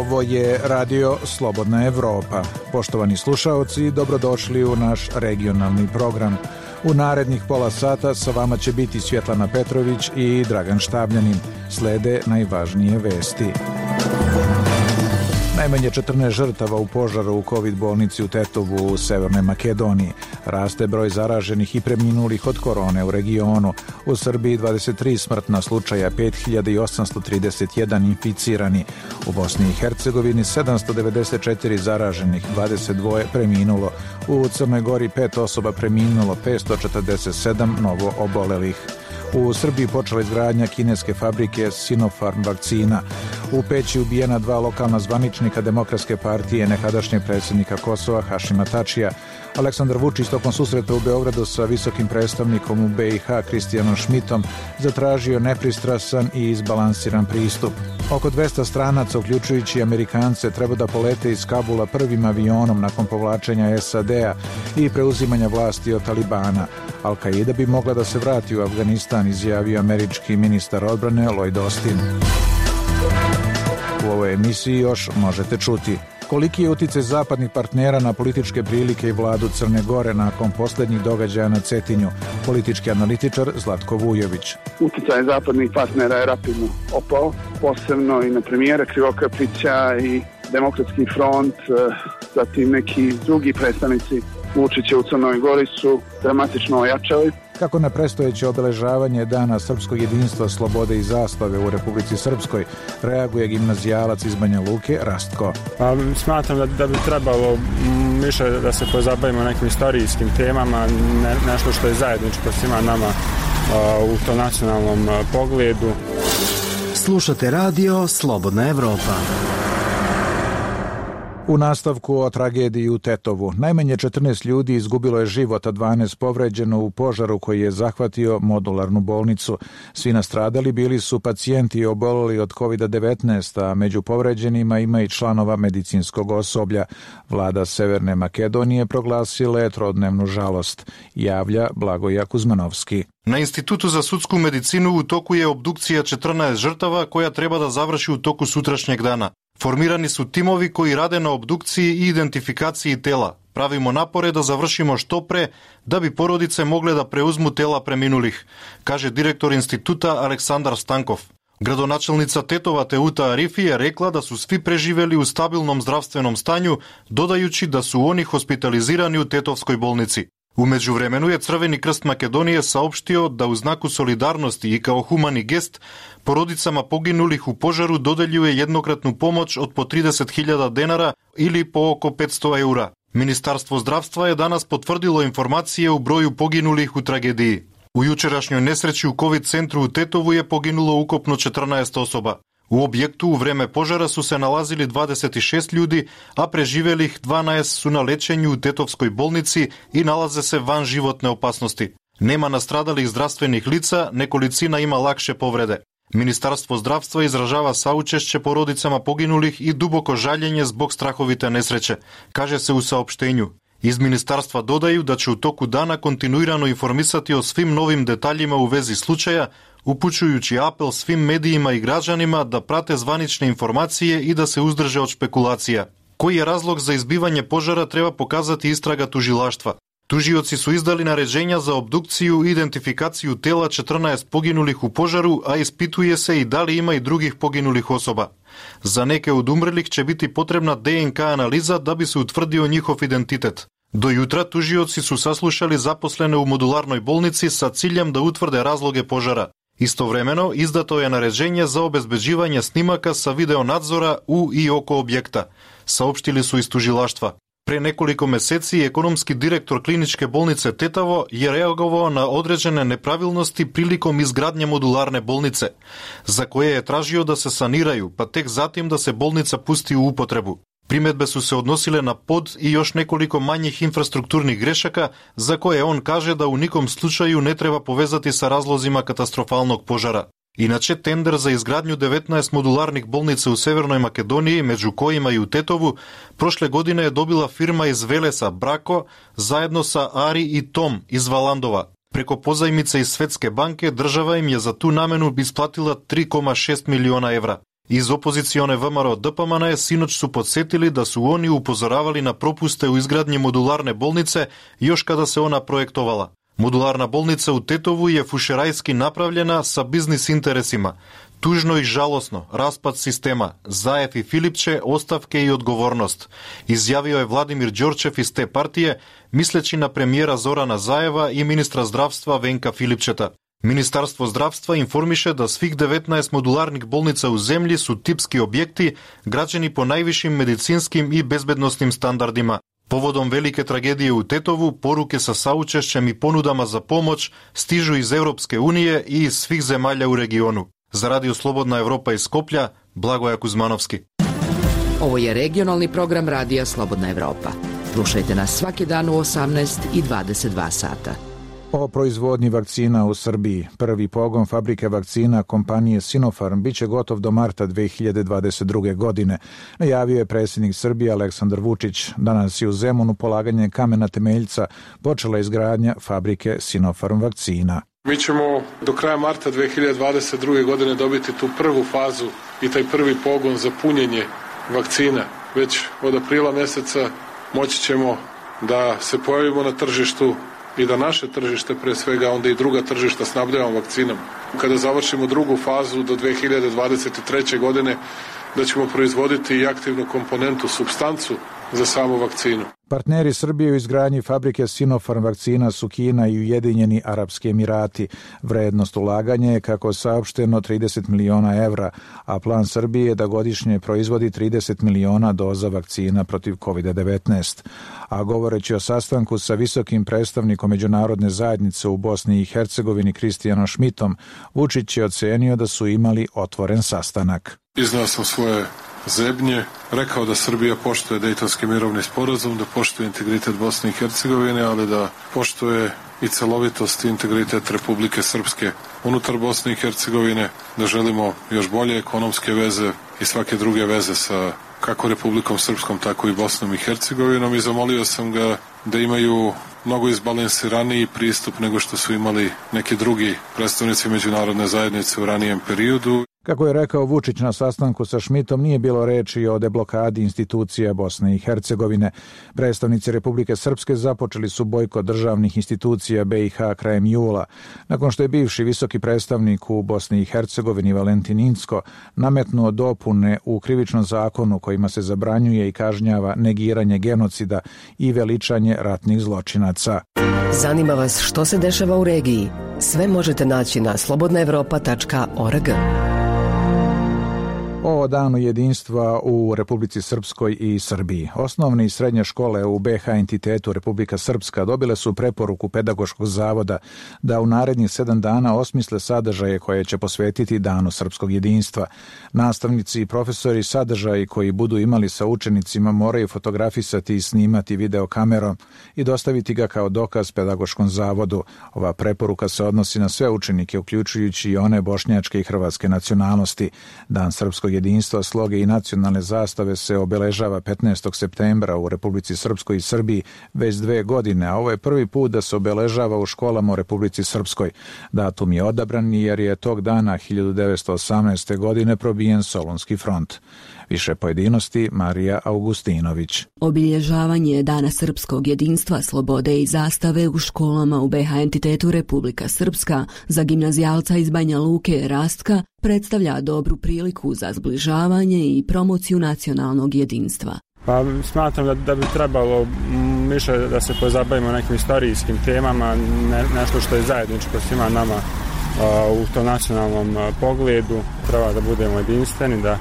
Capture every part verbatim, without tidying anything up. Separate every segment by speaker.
Speaker 1: Ovo je Radio Slobodna Evropa. Poštovani slušaoci, dobrodošli u naš regionalni program. U narednih pola sata sa vama će biti Svjetlana Petrović i Dragan Štabljanin. Slede najvažnije vesti. Najmanje četrnaest žrtava u požaru u COVID bolnici u Tetovu u Severnoj Makedoniji. Raste broj zaraženih i preminulih od korone u regionu. U Srbiji dvadeset tri smrtna slučaja, pet hiljada osamsto trideset jedan inficirani. U Bosni i Hercegovini sedamsto devedeset četiri zaraženih, dvadeset dva preminulo. U Crnoj Gori pet osoba preminulo, petsto četrdeset sedam novo obolelih. U Srbiji počela izgradnja kineske fabrike Sinopharm vakcina. U Peći ubijena dva lokalna zvaničnika Demokratske partije, nekadašnjeg predsjednika Kosova Hašima Tačija. Aleksandar Vučić tokom susreta u Beogradu sa visokim predstavnikom u B i H Kristijanom Šmitom zatražio nepristrasan i izbalansiran pristup. Oko dvesta stranaca, uključujući Amerikance, treba da polete iz Kabula prvim avionom nakon povlačenja S A D-a i preuzimanja vlasti od Talibana. Al-Qaida bi mogla da se vrati u Afganistan, izjavio američki ministar odbrane Lloyd Austin. U ovoj emisiji još možete čuti koliki je uticaj zapadnih partnera na političke prilike i vladu Crne Gore nakon posljednjih događaja na Cetinju. Politički analitičar Zlatko Vujović.
Speaker 2: Uticaj zapadnih partnera je rapidno opao, posebno i na premijera Krivokapića i Demokratski front, zatim neki drugi predstavnici Vučića u Crnoj Gori su dramatično ojačali.
Speaker 1: Kako na predstojeće obeležavanje Dana srpskog jedinstva, slobode i zastave u Republici Srpskoj reaguje gimnazijalac iz Banja Luke Rastko.
Speaker 3: Pa, smatram da, da bi trebalo više da se pozabavimo nekim istorijskim temama, ne, nešto što je zajedničko svima nama a, u tom nacionalnom a, pogledu.
Speaker 4: Slušate Radio Slobodna Evropa.
Speaker 1: U nastavku o tragediji u Tetovu. Najmanje četrnaest ljudi izgubilo je život, a dvanaest povređeno u požaru koji je zahvatio modularnu bolnicu. Svi nastradali bili su pacijenti oboleli od COVID devetnaest, a među povređenima ima i članova medicinskog osoblja. Vlada Severne Makedonije proglasila je trodnevnu žalost, javlja Blagoja Kuzmanovski.
Speaker 5: Na Institutu za sudsku medicinu u toku je obdukcija četrnaest žrtava koja treba da završi u toku sutrašnjeg dana. Formirani su timovi koji rade na obdukciji i identifikaciji tela. Pravimo napore da završimo što pre, da bi porodice mogle da preuzmu tela preminulih, kaže direktor instituta Aleksandar Stankov. Gradonačelnica Tetova Teuta Arifi je rekla da su svi preživeli u stabilnom zdravstvenom stanju, dodajući da su oni hospitalizirani u Tetovskoj bolnici. U međuvremenu je Crveni krst Makedonije saopštio da u znaku solidarnosti i kao humani gest porodicama poginulih u požaru dodeljuje jednokratnu pomoć od po trideset hiljada denara ili po oko petsto eura. Ministarstvo zdravstva je danas potvrdilo informacije u broju poginulih u tragediji. U jučerašnjoj nesreći u COVID centru u Tetovu je poginulo ukupno četrnaest osoba. U objektu u vreme požara su se nalazili dvadeset šest ljudi, a preživelih dvanaest su na lečenju u Tetovskoj bolnici i nalaze se van životne opasnosti. Nema nastradalih zdravstvenih lica, nekolicina ima lakše povrede. Ministarstvo zdravstva izražava saučešće porodicama poginulih i duboko žaljenje zbog strahovite nesreće, kaže se u saopštenju. Iz ministarstva dodaju da će u toku dana kontinuirano informisati o svim novim detaljima u vezi slučaja, upućujući apel svim medijima i građanima da prate zvanične informacije i da se uzdrže od špekulacija. Koji je razlog za izbivanje požara treba pokazati istraga tužilaštva. Tužioci su izdali naređenja za obdukciju i identifikaciju tela četrnaest poginulih u požaru, a ispituje se i da li ima i drugih poginulih osoba. Za neke od umrlih će biti potrebna D N K analiza da bi se utvrdio njihov identitet. Do jutra tužioci su saslušali zaposlene u modularnoj bolnici sa ciljem da utvrde razloge požara. Istovremeno izdato je naređenje za obezbeđivanje snimaka sa videonadzora u i oko objekta, saopštili su iz tužilaštva. Pre nekoliko meseci ekonomski direktor kliničke bolnice Tetovo je reagovao na određene nepravilnosti prilikom izgradnje modularne bolnice, za koje je tražio da se saniraju, pa tek zatim da se bolnica pusti u upotrebu. Primedbe su se odnosile na pod i još nekoliko manjih infrastrukturnih grešaka, za koje on kaže da u nikom slučaju ne treba povezati sa razlozima katastrofalnog požara. Inače, tender za izgradnju devetnaest modularnih bolnica u Severnoj Makedoniji, među kojima i u Tetovu, prošle godine je dobila firma iz Velesa Brako zajedno sa Ari i Tom iz Valandova. Preko pozajmice iz Svetske banke država im je za tu namenu isplatila tri zarez šest miliona evra. Iz opozicione V M R O Д П М Н синоć su podsjetili da su oni upozoravali na propuste u izgradnji modularne bolnice još kada se ona projektovala. Modularna bolnica u Tetovu je fušerajski napravljena sa biznis interesima. Tužno i žalosno, raspad sistema, Zajev i Filipče, ostavke i odgovornost, izjavio je Vladimir Đorčev iz te partije, misleći na premijera Zorana Zajeva i ministra zdravstva Venka Filipčeta. Ministarstvo zdravstva informiše da svih devetnaest modularnih bolnica u zemlji su tipski objekti građeni po najvišim medicinskim i bezbednostnim standardima. Povodom velike tragedije u Tetovu, poruke sa saučešćem i ponudama za pomoć stižu iz Europske unije i iz svih zemalja u regionu. Za Radio Slobodna Evropa iz Skoplja, Blagoja Kuzmanovski.
Speaker 6: Ovo je regionalni program Radija Slobodna Evropa. Slušajte nas svaki dan u osamnaest i dvadeset dva sata.
Speaker 1: O proizvodnji vakcina u Srbiji. Prvi pogon fabrike vakcina kompanije Sinopharm biće gotov do marta dve hiljade dvadeset druge. godine. Najavio je predsjednik Srbije Aleksandar Vučić. Danas je u Zemunu polaganje kamena temeljca počela izgradnja fabrike Sinopharm vakcina.
Speaker 7: Mi ćemo do kraja marta dve hiljade dvadeset druge. godine dobiti tu prvu fazu i taj prvi pogon za punjenje vakcina. Već od aprila meseca moći ćemo da se pojavimo na tržištu i da naše tržište, pre svega onda i druga tržišta, snabdevamo vakcinom. Kada završimo drugu fazu do dve hiljade dvadeset treće. godine, da ćemo proizvoditi i aktivnu komponentu, supstancu za samu vakcinu.
Speaker 1: Partneri Srbije u izgradnji fabrike Sinopharm vakcina su Kina i Ujedinjeni Arapski Emirati. Vrednost ulaganja je, kako je saopšteno, trideset miliona evra, a plan Srbije je da godišnje proizvodi trideset miliona doza vakcina protiv kovid devetnaest. A govoreći o sastanku sa visokim predstavnikom međunarodne zajednice u Bosni i Hercegovini Kristijanom Šmitom, Vučić je ocenio da su imali otvoren sastanak.
Speaker 7: Iznao sam svoje zebnje, rekao da Srbija poštuje Dejtonski mirovni sporazum, da poštuje integritet Bosne i Hercegovine, ali da poštuje i celovitost i integritet Republike Srpske unutar Bosne i Hercegovine, da želimo još bolje ekonomske veze i svake druge veze sa kako Republikom Srpskom, tako i Bosnom i Hercegovinom, i zamolio sam ga da imaju mnogo izbalansiraniji pristup nego što su imali neki drugi predstavnici međunarodne zajednice u ranijem periodu.
Speaker 1: Kako je rekao Vučić na sastanku sa Šmitom, nije bilo reči o deblokadi institucija Bosne i Hercegovine. Predstavnici Republike Srpske započeli su bojkot državnih institucija B i H krajem jula, nakon što je bivši visoki predstavnik u Bosni i Hercegovini Valentin Incko nametnuo dopune u krivičnom zakonu kojima se zabranjuje i kažnjava negiranje genocida i veličanje ratnih zločinaca.
Speaker 8: Zanima vas što se dešava u regiji? Sve možete naći na slobodna evropa tačka org.
Speaker 1: O danu jedinstva u Republici Srpskoj i Srbiji. Osnovne i srednje škole u B H entitetu Republika Srpska dobile su preporuku Pedagoškog zavoda da u narednih sedam dana osmisle sadržaje koje će posvetiti danu srpskog jedinstva. Nastavnici i profesori sadržaji koji budu imali sa učenicima moraju fotografisati i snimati videokamerom i dostaviti ga kao dokaz Pedagoškom zavodu. Ova preporuka se odnosi na sve učenike, uključujući i one bošnjačke i hrvatske nacionalnosti. Dan srpskog jedinstva, sloge i nacionalne zastave se obeležava petnaestog septembra u Republici Srpskoj i Srbiji već dve godine, a ovo je prvi put da se obeležava u školama u Republici Srpskoj. Datum je odabran jer je tog dana hiljadu devetsto osamnaeste. godine probijen Solunski front. Više pojedinosti Marija Augustinović.
Speaker 9: Obilježavanje Dana srpskog jedinstva, slobode i zastave u školama u B H entitetu Republika Srpska za gimnazijalca iz Banja Luke Rastka predstavlja dobru priliku za zbližavanje i promociju nacionalnog jedinstva.
Speaker 3: Pa smatram da, da bi trebalo više da se pozabavimo nekim istorijskim temama, ne, nešto što je zajedničko svima nama a, u tom nacionalnom a, pogledu. Treba da budemo jedinstveni, da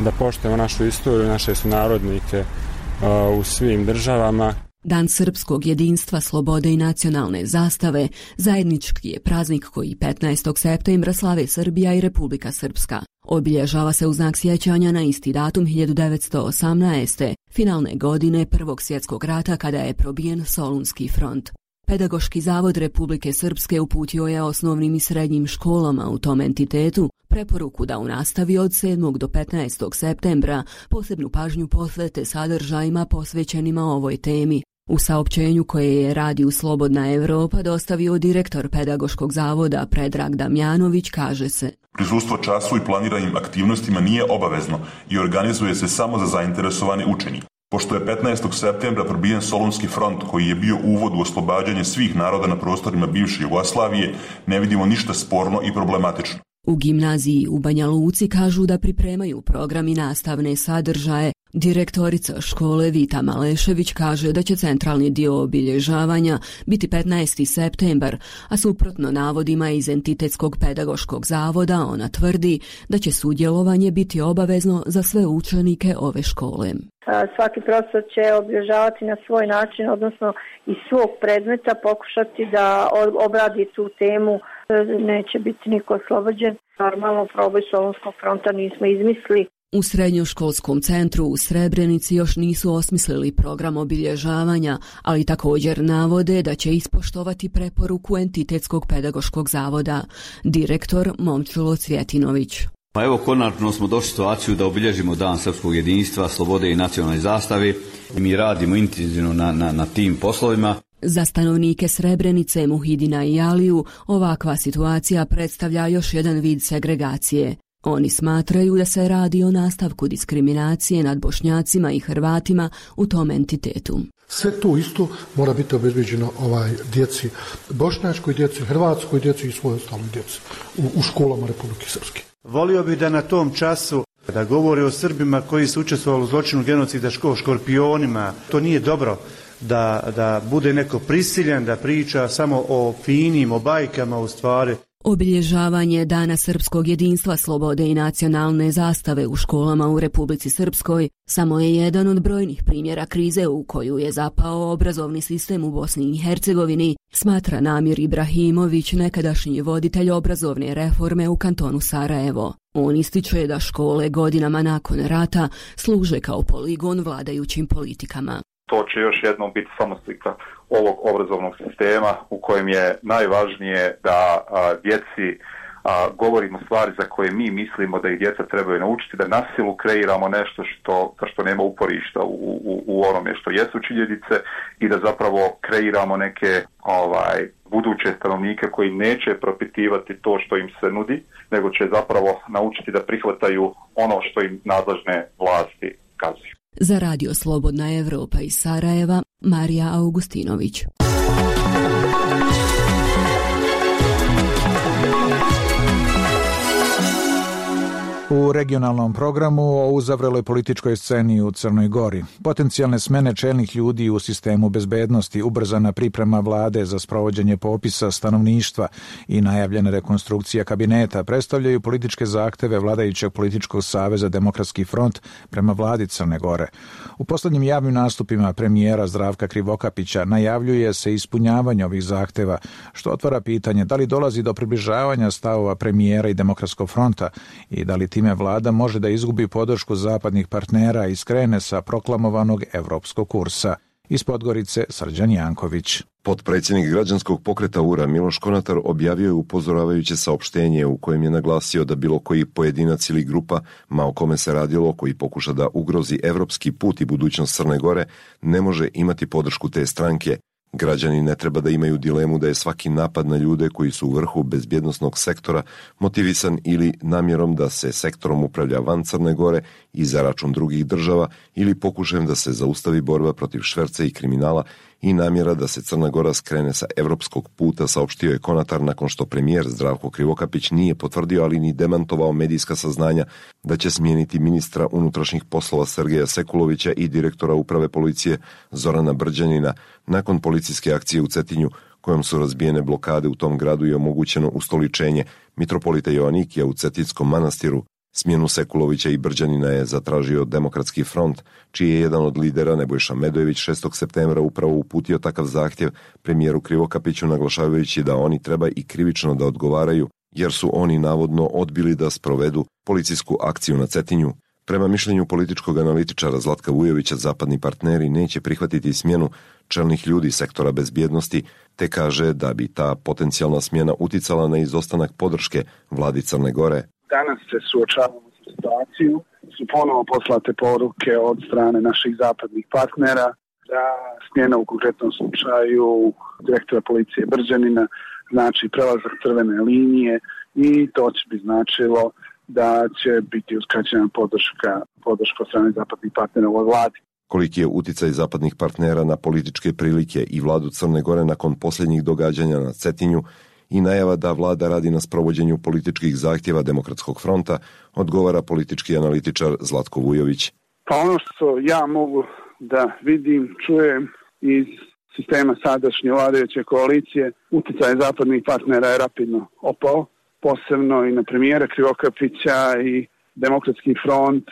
Speaker 3: da poštujemo našu istoriju, naše sunarodnike uh, u svim državama.
Speaker 9: Dan srpskog jedinstva, slobode i nacionalne zastave zajednički je praznik koji petnaestog septembra slave Srbija i Republika Srpska. Obilježava se u znak sjećanja na isti datum hiljadu devetsto osamnaeste. finalne godine Prvog svjetskog rata kada je probijen Solunski front. Pedagoški zavod Republike Srpske uputio je osnovnim i srednjim školama u tom entitetu preporuku da u nastavi od sedmog do petnaestog septembra posebnu pažnju posvete sadržajima posvećenima ovoj temi. U saopćenju koje je Radio Slobodna Evropa dostavio direktor Pedagoškog zavoda Predrag Damjanović kaže se:
Speaker 10: Prisustvo času i planiranim aktivnostima nije obavezno i organizuje se samo za zainteresovane učenike. Pošto je petnaestog septembra probijen Solunski front koji je bio uvod u oslobađanje svih naroda na prostorima bivše Jugoslavije, ne vidimo ništa sporno i problematično.
Speaker 9: U gimnaziji u Banja Luci kažu da pripremaju program i nastavne sadržaje. Direktorica škole Vita Malešević kaže da će centralni dio obilježavanja biti petnaesti septembar, a suprotno navodima iz Entitetskog pedagoškog zavoda ona tvrdi da će sudjelovanje biti obavezno za sve učenike ove škole.
Speaker 11: Svaki profesor će obilježavati na svoj način, odnosno iz svog predmeta pokušati da obradi tu temu. Neće biti niko oslobođen. Normalno proboj Solunskog fronta nismo izmislili.
Speaker 9: U Srednjoškolskom centru u Srebrenici još nisu osmislili program obilježavanja, ali također navode da će ispoštovati preporuku Entitetskog pedagoškog zavoda. Direktor Momčilo Cvjetinović.
Speaker 12: Pa evo, konačno smo došli u situaciju da obilježimo Dan srpskog jedinstva, slobode i nacionalne zastave. Mi radimo intenzivno na, na, na tim poslovima.
Speaker 9: Za stanovnike Srebrenice, Muhidina i Aliju ovakva situacija predstavlja još jedan vid segregacije. Oni smatraju da se radi o nastavku diskriminacije nad Bošnjacima i Hrvatima u tom entitetu.
Speaker 13: Sve to isto mora biti obezbeđeno ovaj djeci, bošnjačkoj djeci, hrvatskoj djeci i svoj ostaloj djeci u, u školama Republike Srpske.
Speaker 14: Volio bih da na tom času da govore o Srbima koji su učestvovali u zločinu genocida, o škorpionima. To nije dobro da, da bude neko prisiljen da priča samo o finim, o bajkama u stvari.
Speaker 9: Obilježavanje Dana srpskog jedinstva, slobode i nacionalne zastave u školama u Republici Srpskoj samo je jedan od brojnih primjera krize u koju je zapao obrazovni sistem u Bosni i Hercegovini, smatra Namir Ibrahimović, nekadašnji voditelj obrazovne reforme u kantonu Sarajevo. On ističe da škole godinama nakon rata služe kao poligon vladajućim politikama.
Speaker 15: To će još jednom biti samo slika ovog obrazovnog sistema u kojem je najvažnije da a, djeci a, govorimo stvari za koje mi mislimo da ih djeca trebaju naučiti, da na silu kreiramo nešto što, što nema uporišta u, u, u onome što jesu činjenice i da zapravo kreiramo neke ovaj, buduće stanovnike koji neće propitivati to što im se nudi, nego će zapravo naučiti da prihvataju ono što im nadležne vlasti kazuju.
Speaker 9: Za Radio Slobodna Evropa iz Sarajeva, Marija Augustinović.
Speaker 1: U regionalnom programu o uzavreloj političkoj sceni u Crnoj Gori, potencijalne smene čelnih ljudi u sistemu bezbednosti, ubrzana priprema vlade za sprovođenje popisa stanovništva i najavljena rekonstrukcija kabineta predstavljaju političke zahteve vladajućeg političkog saveza Demokratski front prema vladi Crne Gore. U poslednjim javnim nastupima premijera Zdravka Krivokapića najavljuje se ispunjavanje ovih zahteva, što otvara pitanje da li dolazi do približavanja stavova premijera i Demokratskog fronta i da li time vlada može da izgubi podršku zapadnih partnera i skrene sa proklamovanog evropskog kursa. Iz Podgorice, Srđan Janković.
Speaker 16: Potpredsjednik građanskog pokreta U R A Miloš Konatar objavio je upozoravajuće saopštenje u kojem je naglasio da bilo koji pojedinac ili grupa, ma o kome se radilo, koji pokuša da ugrozi evropski put i budućnost Crne Gore, ne može imati podršku te stranke. Građani ne treba da imaju dilemu da je svaki napad na ljude koji su u vrhu bezbjednosnog sektora motivisan ili namjerom da se sektorom upravlja van Crne Gore i za račun drugih država ili pokušajem da se zaustavi borba protiv šverca i kriminala i namjera da se Crna Gora skrene sa evropskog puta, saopštio je Konatar nakon što premijer Zdravko Krivokapić nije potvrdio, ali ni demantovao medijska saznanja da će smijeniti ministra unutrašnjih poslova Sergeja Sekulovića i direktora uprave policije Zorana Brđanina nakon policijske akcije u Cetinju, kojom su razbijene blokade u tom gradu i omogućeno ustoličenje mitropolita Joanikija u Cetinskom manastiru. Smjenu Sekulovića i Brđanina je zatražio Demokratski front, čiji je jedan od lidera Nebojša Medojević šestog septembra upravo uputio takav zahtjev premijeru Krivokapiću, naglašavajući da oni treba i krivično da odgovaraju, jer su oni navodno odbili da sprovedu policijsku akciju na Cetinju. Prema mišljenju političkog analitičara Zlatka Vujovića, zapadni partneri neće prihvatiti smjenu čelnih ljudi sektora bezbjednosti, te kaže da bi ta potencijalna smjena uticala na izostanak podrške vladi Crne Gore.
Speaker 2: Danas se suočavamo sa situaciju, su ponovo poslate poruke od strane naših zapadnih partnera da smjena u konkretnom slučaju direktora policije Brđanina znači prelazak crvene linije i to će bi značilo da će biti uskraćena podrška, podrška od strane zapadnih partnera u ovoj vladi.
Speaker 16: Koliki je uticaj zapadnih partnera na političke prilike i vladu Crne Gore nakon posljednjih događanja na Cetinju i najava da vlada radi na sprovođenju političkih zahtjeva Demokratskog fronta, odgovara politički analitičar Zlatko Vujović.
Speaker 2: Pa ono što ja mogu da vidim, čujem iz sistema sadašnje vladajuće koalicije, uticaj zapadnih partnera je rapidno opao, posebno i na premijera Krivokapića i Demokratski front,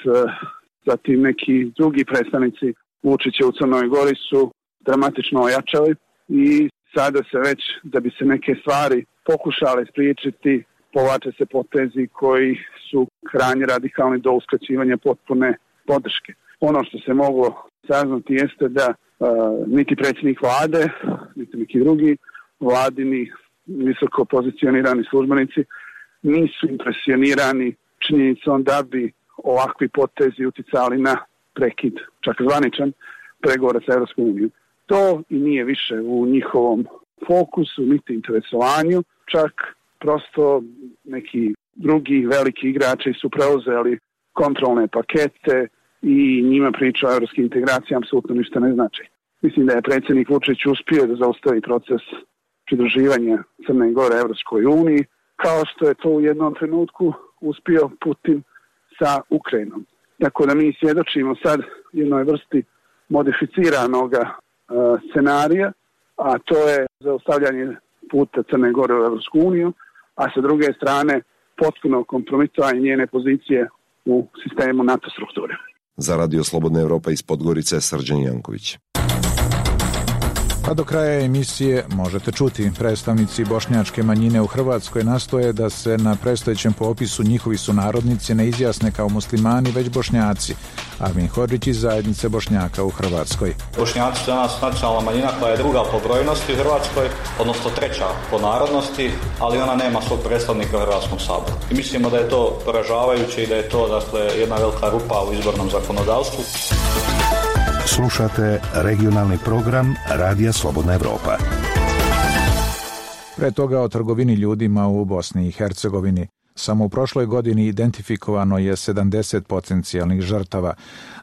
Speaker 2: zatim neki drugi predstavnici Vučića u Crnoj Gori su dramatično ojačali i sada se već, da bi se neke stvari pokušale spriječiti, povlače se potezi koji su krajnje radikalni do uskraćivanja potpune podrške. Ono što se moglo saznati jeste da uh, niti predsjednik vlade, niti neki drugi vladini visoko pozicionirani službenici nisu impresionirani činjenicom da bi ovakvi potezi uticali na prekid, čak zvaničan, pregovora sa Europskom unijom. To i nije više u njihovom fokusu, niti interesovanju, čak prosto neki drugi veliki igrači su preuzeli kontrolne pakete i njima priča o europskim integracijama apsolutno ništa ne znači. Mislim da je predsjednik Vučić uspio da zaustavi proces pridruživanja Crne Gore Europskoj uniji, kao što je to u jednom trenutku uspio Putin sa Ukrajinom. Tako da mi svjedočimo sad jednoj vrsti modificiranog uh, scenarija, a to je zaustavljanje puta Crne Gore u Europsku uniju, a sa druge strane potpuno kompromitovanje njene pozicije u sistemu NATO strukture.
Speaker 16: Za Radio Slobodna Evropa iz Podgorice, Srđan Janković.
Speaker 1: Pa do kraja emisije možete čuti, predstavnici bošnjačke manjine u Hrvatskoj nastoje da se na predstojećem popisu njihovi sunarodnici ne izjasne kao muslimani, već Bošnjaci. Armin Hodžić iz zajednice Bošnjaka u Hrvatskoj.
Speaker 17: Bošnjaci su danas nacionalna manjina koja je druga po brojnosti u Hrvatskoj, odnosno treća po narodnosti, ali ona nema svog predstavnika u Hrvatskom saboru. I mislimo da je to poražavajuće i da je to dakle jedna velika rupa u izbornom zakonodavstvu.
Speaker 18: Slušate regionalni program Radija Slobodna Evropa.
Speaker 1: Pre toga o trgovini ljudima u Bosni i Hercegovini. Samo u prošloj godini identifikovano je sedamdeset potencijalnih žrtava.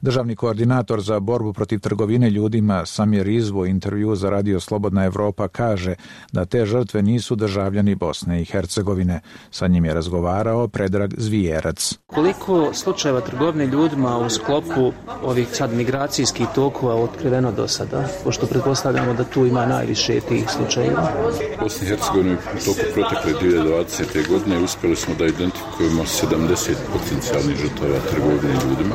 Speaker 1: Državni koordinator za borbu protiv trgovine ljudima Samir Rizvo u intervju za Radio Slobodna Evropa kaže da te žrtve nisu državljani Bosne i Hercegovine. Sa njim je razgovarao Predrag Zvijerac.
Speaker 19: Koliko slučajeva trgovine ljudima u sklopu ovih sad migracijskih tokova otkriveno do sada? Pošto pretpostavljamo da tu ima najviše tih slučajeva.
Speaker 20: U Bosni i Hercegovini u toku protekle dvije tisuće dvadesete. godine uspjeli smo da identifikujemo sedamdeset potencijalnih žrtava trgovine ljudima.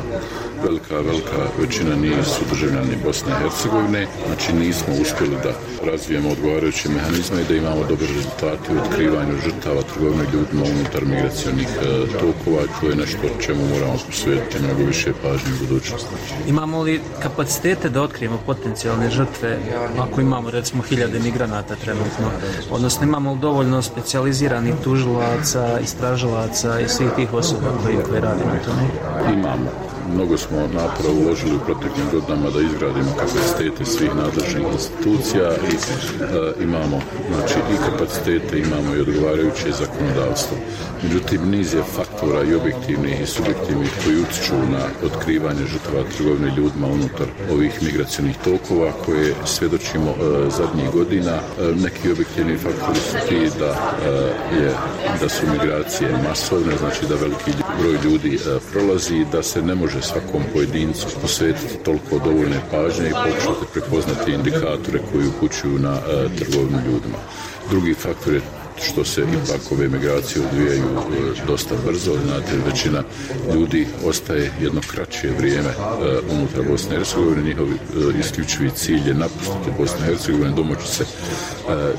Speaker 20: Velika, velika većina nisu državljani Bosne i Hercegovine, znači nismo uspjeli da razvijemo odgovarajuće mehanizme i da imamo dobre rezultate u otkrivanju žrtava trgovine ljudima unutar migracionih e, tokova. To je nešto čemu moramo posvetiti mnogo više pažnje u budućnosti.
Speaker 19: Imamo li kapacitete da otkrijemo potencijalne žrtve ako imamo recimo hiljade migranata trenutno? Odnosno imamo li dovoljno specijaliziranih tužilaca, istražilaca i svih tih osoba koji, koji rade na tome?
Speaker 20: Imamo. Mnogo smo napora uložili u proteklim godinama da izgradimo kapacitete svih nadležnih institucija i e, imamo znači, i kapacitete, imamo i odgovarajuće zakonodavstvo. Međutim, niz je faktora i objektivnih i subjektivnih koji utiču na otkrivanje žrtava trgovine ljudima unutar ovih migracionih tokova koje svjedočimo e, zadnjih godina. E, neki objektivni faktori su ti da, e, je, da su migracije masovne, znači da veliki broj ljudi e, prolazi, da se ne može svakom pojedincu posvetiti toliko dovoljne pažnje i pokušati prepoznati indikatore koji upućuju na e, trgovinu ljudima. Drugi faktor je što se ipak ove migracije odvijaju e, dosta brzo, znate, većina ljudi ostaje jedno kraće vrijeme e, unutar Bosne i Hercegovine, njihov e, isključivi cilj je napustiti Bosnu i Hercegovinu, domoći se e,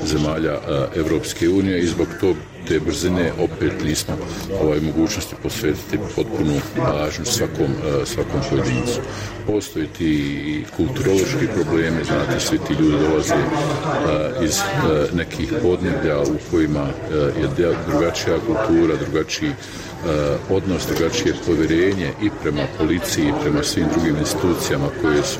Speaker 20: zemalja e, Evropske unije i zbog tog te brzine opet nismo ovaj mogućnosti posvetiti potpunu pažnju svakom, svakom pojedincu. Postoji ti kulturološki problemi, znate, svi ti ljudi dolaze iz nekih podneblja u kojima je drugačija kultura, drugačiji odnos, drugačije povjerenje i prema policiji i prema svim drugim institucijama koje su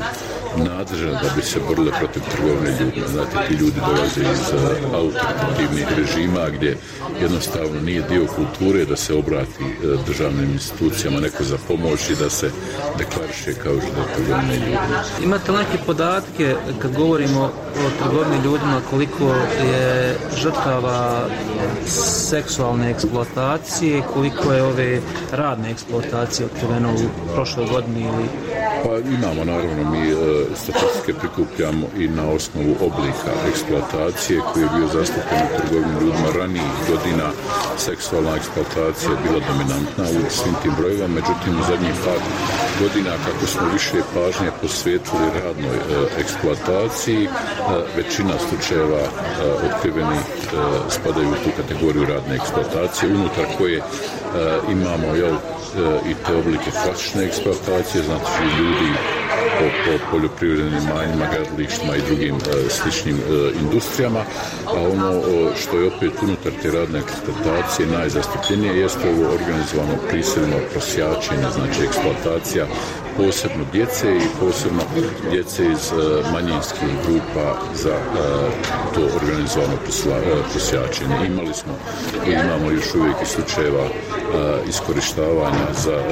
Speaker 20: nadležna da bi se borile protiv trgovine ljudima. Znate, ti ljudi dolaze iz uh, autoritativnih režima gdje jednostavno nije dio kulture da se obrati uh, državnim institucijama neko za pomoć i da se deklariše kao žrtva trgovine ljudima.
Speaker 19: Imate neke podatke kad govorimo o trgovini ljudima koliko je žrtava seksualne eksploatacije, koliko je ove radne eksploatacije otkriveno u prošloj godini ili...
Speaker 20: Pa imamo naravno mi e, statistike prikupljamo i na osnovu oblika eksploatacije koji je bio zastupljen u trgovini ljudima ranijih godina. Seksualna eksploatacija je bila dominantna u svim tim brojevima, međutim u zadnjih par godina kako smo više pažnje posvetili radnoj e, eksploataciji, e, većina slučajeva e, otkrivenih e, spadaju u tu kategoriju radne eksploatacije, unutar koje e, imamo jel, i te oblike klasične eksploatacije, znači ljudi po, po poljoprivrednim imanjima, gradilištima i drugim e, sličnim e, industrijama, a ono o, što je opet unutar te radne eksploatacije najzastupljenije jeste ovo organizovano prisilno prosjačenje, znači eksploatacija posebno djece i posebno djece iz e, manjinskih grupa za e, to organizovano prosjačenje. Imali smo i imamo još uvijek i slučajeva e, iskorištavanja za e,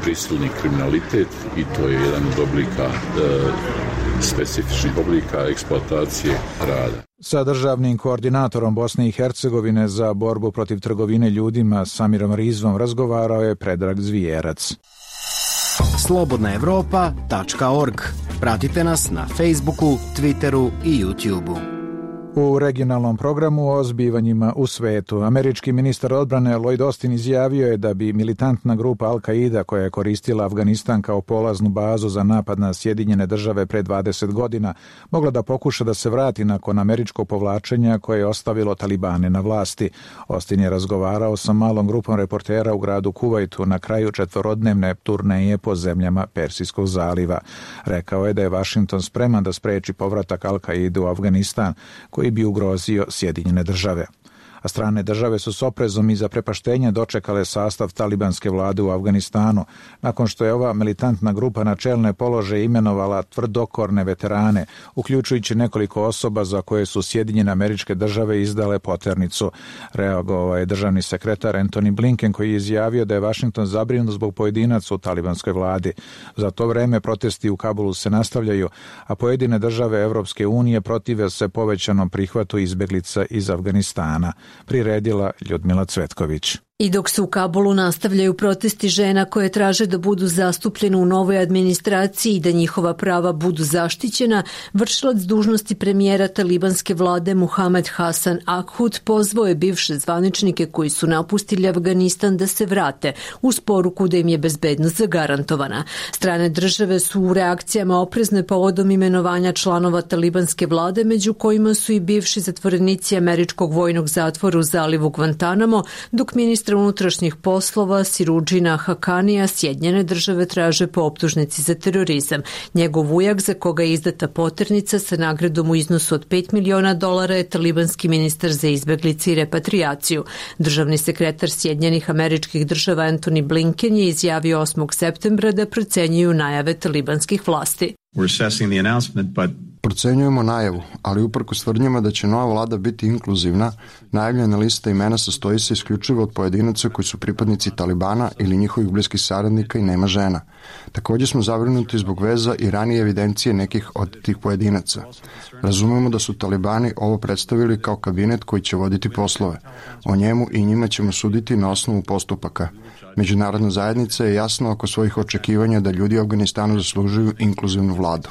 Speaker 20: prisilni kriminalitet i to je jedan od oblika, e, specifičnih oblika eksploatacije rada.
Speaker 1: Sa državnim koordinatorom Bosne i Hercegovine za borbu protiv trgovine ljudima Samirom Rizvom razgovarao je Predrag Zvijerac.
Speaker 4: slobodna evropa tačka org. Pratite nas na Facebooku, Twitteru i YouTubeu.
Speaker 1: U regionalnom programu o zbivanjima u svetu, američki ministar odbrane Lloyd Austin izjavio je da bi militantna grupa Al-Qaida, koja je koristila Afganistan kao polaznu bazu za napad na Sjedinjene države pre dvadeset godina, mogla da pokuša da se vrati nakon američkog povlačenja koje je ostavilo Talibane na vlasti. Austin je razgovarao sa malom grupom reportera u gradu Kuvajtu na kraju četvorodnevne turneje po zemljama Persijskog zaliva. Rekao je da je Vašington spreman da spreči povratak Al-Qaide u Afganistan, koji bi ugrozio Sjedinjene države. A strane države su s oprezom i zaprepaštenje dočekale sastav talibanske vlade u Afganistanu, nakon što je ova militantna grupa na čelne položaje imenovala tvrdokorne veterane, uključujući nekoliko osoba za koje su Sjedinjene Američke Države izdale poternicu. Reagovao je državni sekretar Antony Blinken, koji je izjavio da je Vašington zabrinut zbog pojedinaca u talibanskoj vladi. Za to vreme protesti u Kabulu se nastavljaju, a pojedine države Evropske unije protive se povećanom prihvatu izbeglica iz Afganistana. Priredila Ljudmila Cvetković.
Speaker 21: I dok se u Kabulu nastavljaju protesti žena koje traže da budu zastupljene u novoj administraciji i da njihova prava budu zaštićena, vršilac dužnosti premijera talibanske vlade Muhamed Hasan Akhud pozvao je bivše zvaničnike koji su napustili Afganistan da se vrate uz poruku da im je bezbednost zagarantovana. Strane države su u reakcijama oprezne povodom imenovanja članova talibanske vlade, među kojima su i bivši zatvorenici američkog vojnog zatvora u zalivu Guantanamo, dok ministar unutrašnjih poslova Sirudžina Hakanija Sjedinjene države traže po optužnici za terorizam. Njegov ujak, za koga je izdata poternica sa nagradom u iznosu od pet miliona dolara, je talibanski ministar za izbeglice i repatrijaciju. Državni sekretar Sjedinjenih Američkih Država Antony Blinken je izjavio osmog septembra da procenjuju najave talibanskih vlasti.
Speaker 22: Procenjujemo najavu, ali uprkos tvrdnjama da će nova vlada biti inkluzivna, najavljena lista imena sastoji se isključivo od pojedinaca koji su pripadnici Talibana ili njihovih bliskih saradnika i nema žena. Također smo zabrinuti zbog veza i ranije evidencije nekih od tih pojedinaca. Razumemo da su Talibani ovo predstavili kao kabinet koji će voditi poslove. O njemu i njima ćemo suditi na osnovu postupaka. Međunarodna zajednica je jasna oko svojih očekivanja da ljudi u Afganistanu zaslužuju inkluzivnu vladu.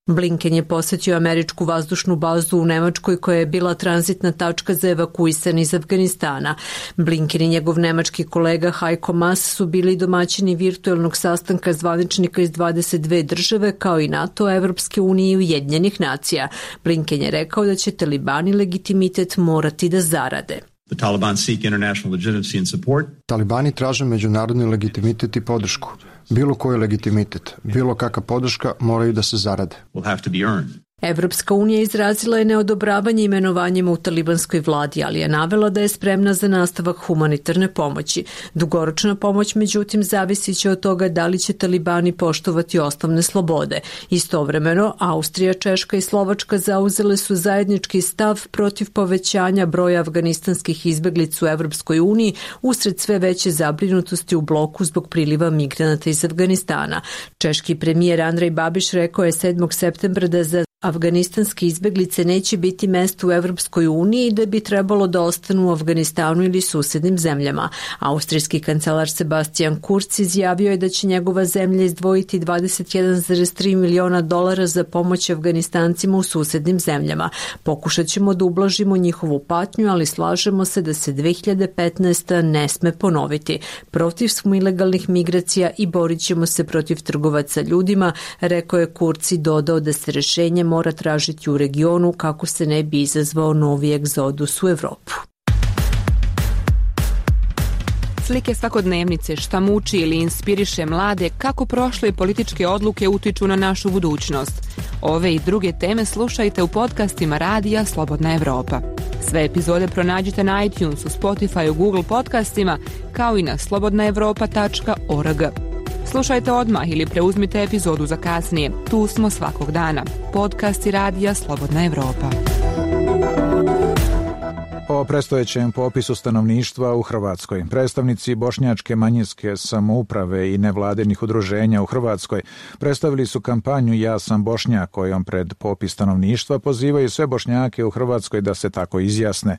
Speaker 21: Blinken je posjetio američku vazdušnu bazu u Nemačkoj koja je bila tranzitna tačka za evakuisane iz Afganistana. Blinken i njegov nemački kolega Heiko Maas su bili domaćini virtuelnog sastanka zvaničnika iz dvadeset dve države kao i NATO, Evropske unije i Ujedinjenih nacija. Blinken je rekao da će Talibani legitimitet morati da zarade.
Speaker 22: The Taliban seek international legitimacy and support. Talibani traže međunarodni legitimitet i podršku. Bilo koji legitimitet, bilo kakva podrška moraju da se zarade.
Speaker 21: Will have to be earned. Evropska unija izrazila je neodobravanje imenovanjima u talibanskoj vladi, ali je navela da je spremna za nastavak humanitarne pomoći. Dugoročna pomoć, međutim, zavisi će od toga da li će talibani poštovati osnovne slobode. Istovremeno, Austrija, Češka i Slovačka zauzele su zajednički stav protiv povećanja broja afganistanskih izbeglica u Evropskoj uniji usred sve veće zabrinutosti u bloku zbog priliva migranata iz Afganistana. Češki premijer Andrej Babiš rekao je sedmog septembra da za afganistanske izbeglice neće biti mesto u Evropskoj uniji i da bi trebalo da ostanu u Afganistanu ili susednim zemljama. Austrijski kancelar Sebastian Kurz izjavio je da će njegova zemlja izdvojiti dvadeset jedan zarez tri miliona dolara za pomoć Afganistancima u susednim zemljama. Pokušat ćemo da ublažimo njihovu patnju, ali slažemo se da se dve hiljade petnaesta. ne sme ponoviti. Protiv smo ilegalnih migracija i borit ćemo se protiv trgovaca ljudima, rekao je Kurz i dodao da se rešenje mora tražiti u regionu kako se ne bi izazvao novi egzodus u Evropu.
Speaker 5: Slike svakodnevnice, šta muči ili inspiriše mlade, kako prošle političke odluke utiču na našu budućnost. Ove i druge teme slušajte u podcastima Radija Slobodna Evropa. Sve epizode pronađite na iTunesu, Spotifyu, Google podcastima, kao i na slobodna evropa tačka org. Slušajte odmah ili preuzmite epizodu za kasnije. Tu smo svakog dana. Podcasti Radija Slobodna Evropa.
Speaker 1: O predstojećem popisu stanovništva u Hrvatskoj. Predstavnici bošnjačke manjinske samouprave i nevladinih udruženja u Hrvatskoj predstavili su kampanju Ja sam Bošnjak, kojom pred popis stanovništva pozivaju sve Bošnjake u Hrvatskoj da se tako izjasne.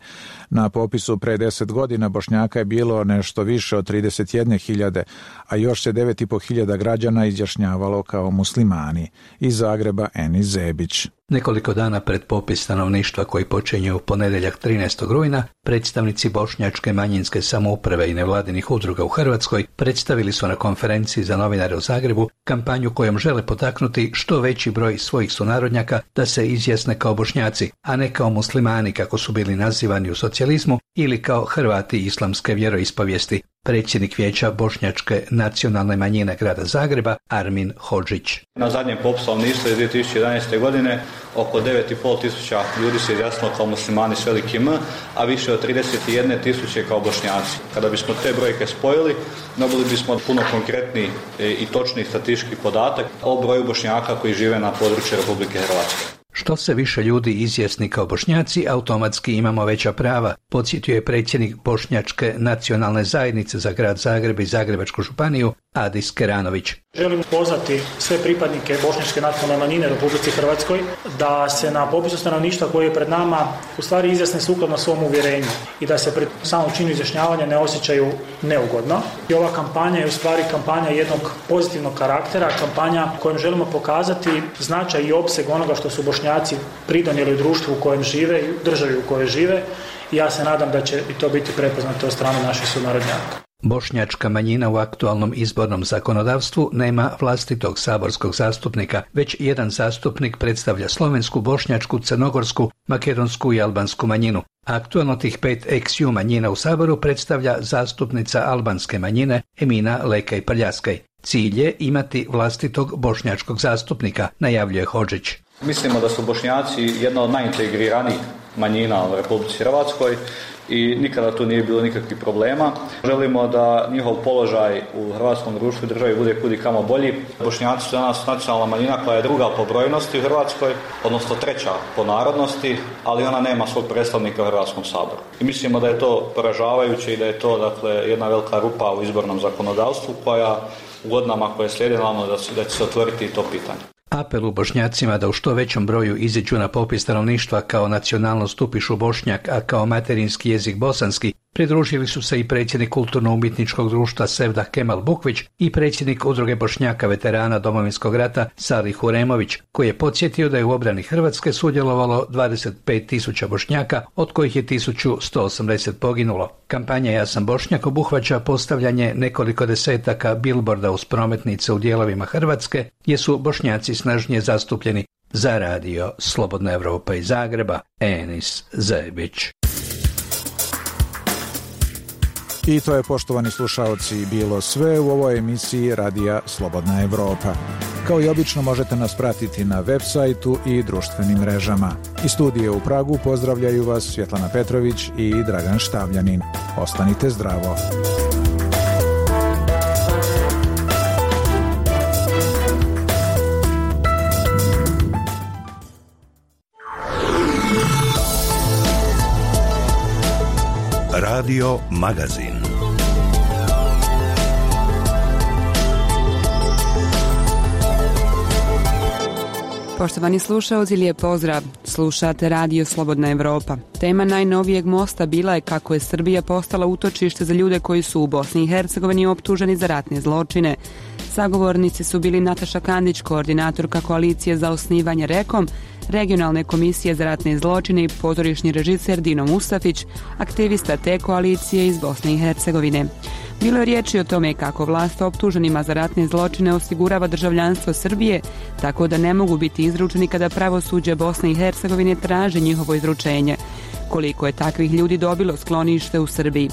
Speaker 1: Na popisu pre deset godina Bošnjaka je bilo nešto više od trideset jedne hiljade, a još se devet i po hiljada građana izjašnjavalo kao muslimani. Iz Zagreba Enis Zebić.
Speaker 6: Nekoliko dana pred popis stanovništva koji počinje u ponedjeljak trinaestog rujna, predstavnici bošnjačke manjinske samouprave i nevladinih udruga u Hrvatskoj predstavili su na konferenciji za novinare u Zagrebu kampanju kojom žele potaknuti što veći broj svojih sunarodnjaka da se izjasne kao Bošnjaci, a ne kao muslimani kako su bili nazivani u socijalizmu ili kao Hrvati islamske vjeroispovijesti. Predsjednik vijeća bošnjačke nacionalne manjine grada Zagreba Armin Hodžić.
Speaker 17: Na zadnjem popisu stanovništva iz dvije tisuće jedanaeste. godine oko devet i pol tisuća ljudi se izjasnilo kao muslimani s velikim M, a više od trideset jedne tisuće kao Bošnjaci. Kada bismo te brojke spojili, dobili bismo puno konkretni i točni statistički podatak o broju Bošnjaka koji žive na području Republike Hrvatske.
Speaker 6: Što se više ljudi izjasni kao Bošnjaci, automatski imamo veća prava, podsjetio je predsjednik Bošnjačke nacionalne zajednice za grad Zagreb i Zagrebačku županiju Adis Keranović.
Speaker 23: Želim pozvati sve pripadnike bošnjačke nacionalne manjine u Republici Hrvatskoj da se na popisu stanovništva koji je pred nama u stvari izjasne sukladno svom uvjerenju i da se pred samom činu izjašnjavanja ne osjećaju neugodno. I ova kampanja je u stvari kampanja jednog pozitivnog karaktera, kampanja kojom želimo pokazati značaj i opseg onoga što su Bošnjaci pridonijeli u društvu u kojem žive i u državi u kojoj žive i ja se nadam da će i to biti prepoznato od strane naših sunarodnjaka.
Speaker 6: Bošnjačka manjina u aktualnom izbornom zakonodavstvu nema vlastitog saborskog zastupnika, već jedan zastupnik predstavlja slovensku, bošnjačku, crnogorsku, makedonsku i albansku manjinu. Aktualno tih pet ex-ju manjina u saboru predstavlja zastupnica albanske manjine Emina Lekaj Prljaskaj. Cilj je imati vlastitog bošnjačkog zastupnika, najavljuje Hodžić.
Speaker 17: Mislimo da su Bošnjaci jedna od najintegriranijih manjina u Republici Hrvatskoj i nikada tu nije bilo nikakvih problema. Želimo da njihov položaj u hrvatskom društvu i državi bude kudi kamo bolji. Bošnjaci su danas nacionalna manjina koja je druga po brojnosti u Hrvatskoj, odnosno treća po narodnosti, ali ona nema svog predstavnika u Hrvatskom saboru. I mislimo da je to poražavajuće i da je to dakle jedna velika rupa u izbornom zakonodavstvu koja u godinama koje slijede naravno da, da će se otvoriti to pitanje.
Speaker 6: Apel u Bošnjacima da u što većem broju iziđu na popis stanovništva kao nacionalnost upišu Bošnjak, a kao materinski jezik bosanski, pridružili su se i predsjednik kulturno-umjetničkog društva Sevdah Kemal Bukvić i predsjednik udruge Bošnjaka veterana Domovinskog rata Salih Huremović, koji je podsjetio da je u obrani Hrvatske sudjelovalo dvadeset pet tisuća Bošnjaka, od kojih je tisuću sto osamdeset poginulo. Kampanja Ja sam Bošnjak obuhvaća postavljanje nekoliko desetaka bilborda uz prometnice u dijelovima Hrvatske, gdje su Bošnjaci snažnije zastupljeni. Za radio Slobodna Evropa iz Zagreba, Enis Zebić.
Speaker 1: I to je, poštovani slušaoci, bilo sve u ovoj emisiji Radija Slobodna Evropa. Kao i obično možete nas pratiti na web sajtu i društvenim mrežama. Iz studije u Pragu pozdravljaju vas Svjetlana Petrović i Dragan Štavljanin. Ostanite zdravo.
Speaker 18: Radio Magazin.
Speaker 5: Poštovani slušaoci, lijep pozdrav. Slušate Radio Slobodna Evropa. Tema najnovijeg mosta bila je kako je Srbija postala utočište za ljude koji su u Bosni i Hercegovini optuženi za ratne zločine. Sagovornici su bili Nataša Kandić, koordinatorka koalicije za osnivanje REKOM, Regionalne komisije za ratne zločine i pozorišni režiser Dino Mustafić, aktivista te koalicije iz Bosne i Hercegovine. Bilo je riječi o tome kako vlast optuženima za ratne zločine osigurava državljanstvo Srbije, tako da ne mogu biti izručeni kada pravosuđe Bosne i Hercegovine traže njihovo izručenje. Koliko je takvih ljudi dobilo sklonište u Srbiji?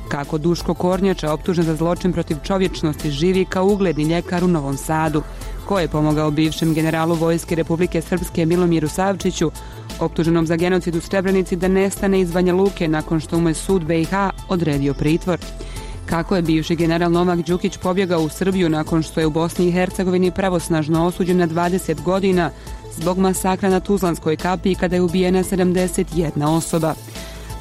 Speaker 5: Kako Duško Kornjača, optužen za zločin protiv čovječnosti, živi kao ugledni ljekar u Novom Sadu? Ko je pomogao bivšem generalu Vojske Republike Srpske Milomiru Savčiću, optuženom za genocid u Srebrenici, da nestane iz Banja Luke nakon što mu je sud B i H odredio pritvor? Kako je bivši general Novak Đukić pobjegao u Srbiju nakon što je u Bosni i Hercegovini pravosnažno osuđen na dvadeset godina zbog masakra na Tuzlanskoj kapiji kada je ubijena sedamdeset jedna osoba?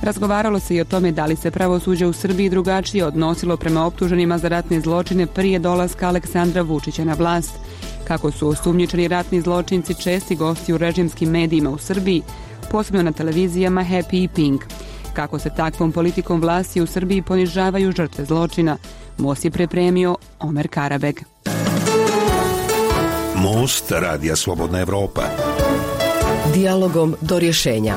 Speaker 5: Razgovaralo se i o tome da li se pravosuđe u Srbiji drugačije odnosilo prema optuženima za ratne zločine prije dolaska Aleksandra Vučića na vlast. Kako su osumnjičeni ratni zločinci česti gosti u režimskim medijima u Srbiji, posebno na televizijama Happy i Pink. Kako se takvom politikom vlasti u Srbiji ponižavaju žrtve zločina. Most je pripremio Omer Karabeg.
Speaker 18: Most Radija Slobodna Evropa.
Speaker 3: Dijalogom do rješenja.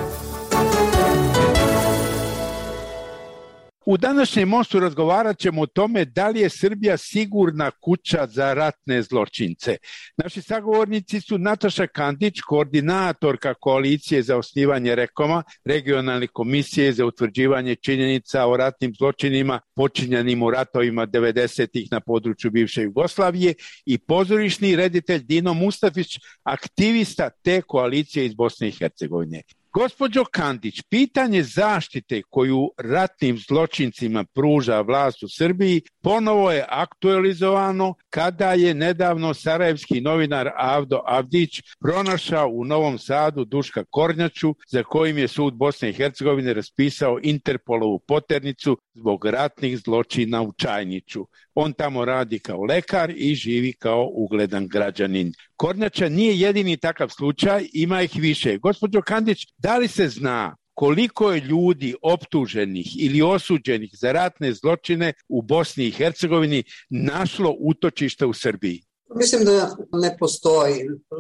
Speaker 7: U današnjem mostu razgovarat ćemo o tome da li je Srbija sigurna kuća za ratne zločince. Naši sagovornici su Nataša Kandić, koordinatorka koalicije za osnivanje REKOM-a, Regionalne komisije za utvrđivanje činjenica o ratnim zločinima počinjenim u ratovima devedesetih na području bivše Jugoslavije, i pozorišni reditelj Dino Mustafić, aktivista te koalicije iz Bosne i Hercegovine. Gospođo Kandić, pitanje zaštite koju ratnim zločincima pruža vlast u Srbiji ponovo je aktualizovano kada je nedavno sarajevski novinar Avdo Avdić pronašao u Novom Sadu Duška Kornjaču, za kojim je sud Bosne i Hercegovine raspisao Interpolovu poternicu zbog ratnih zločina u Čajniću. On tamo radi kao lekar i živi kao ugledan građanin. Kornjača nije jedini takav slučaj, ima ih više. Gospođo Kandić, da li se zna koliko je ljudi optuženih ili osuđenih za ratne zločine u Bosni i Hercegovini našlo utočište u Srbiji?
Speaker 8: Mislim da ne postoji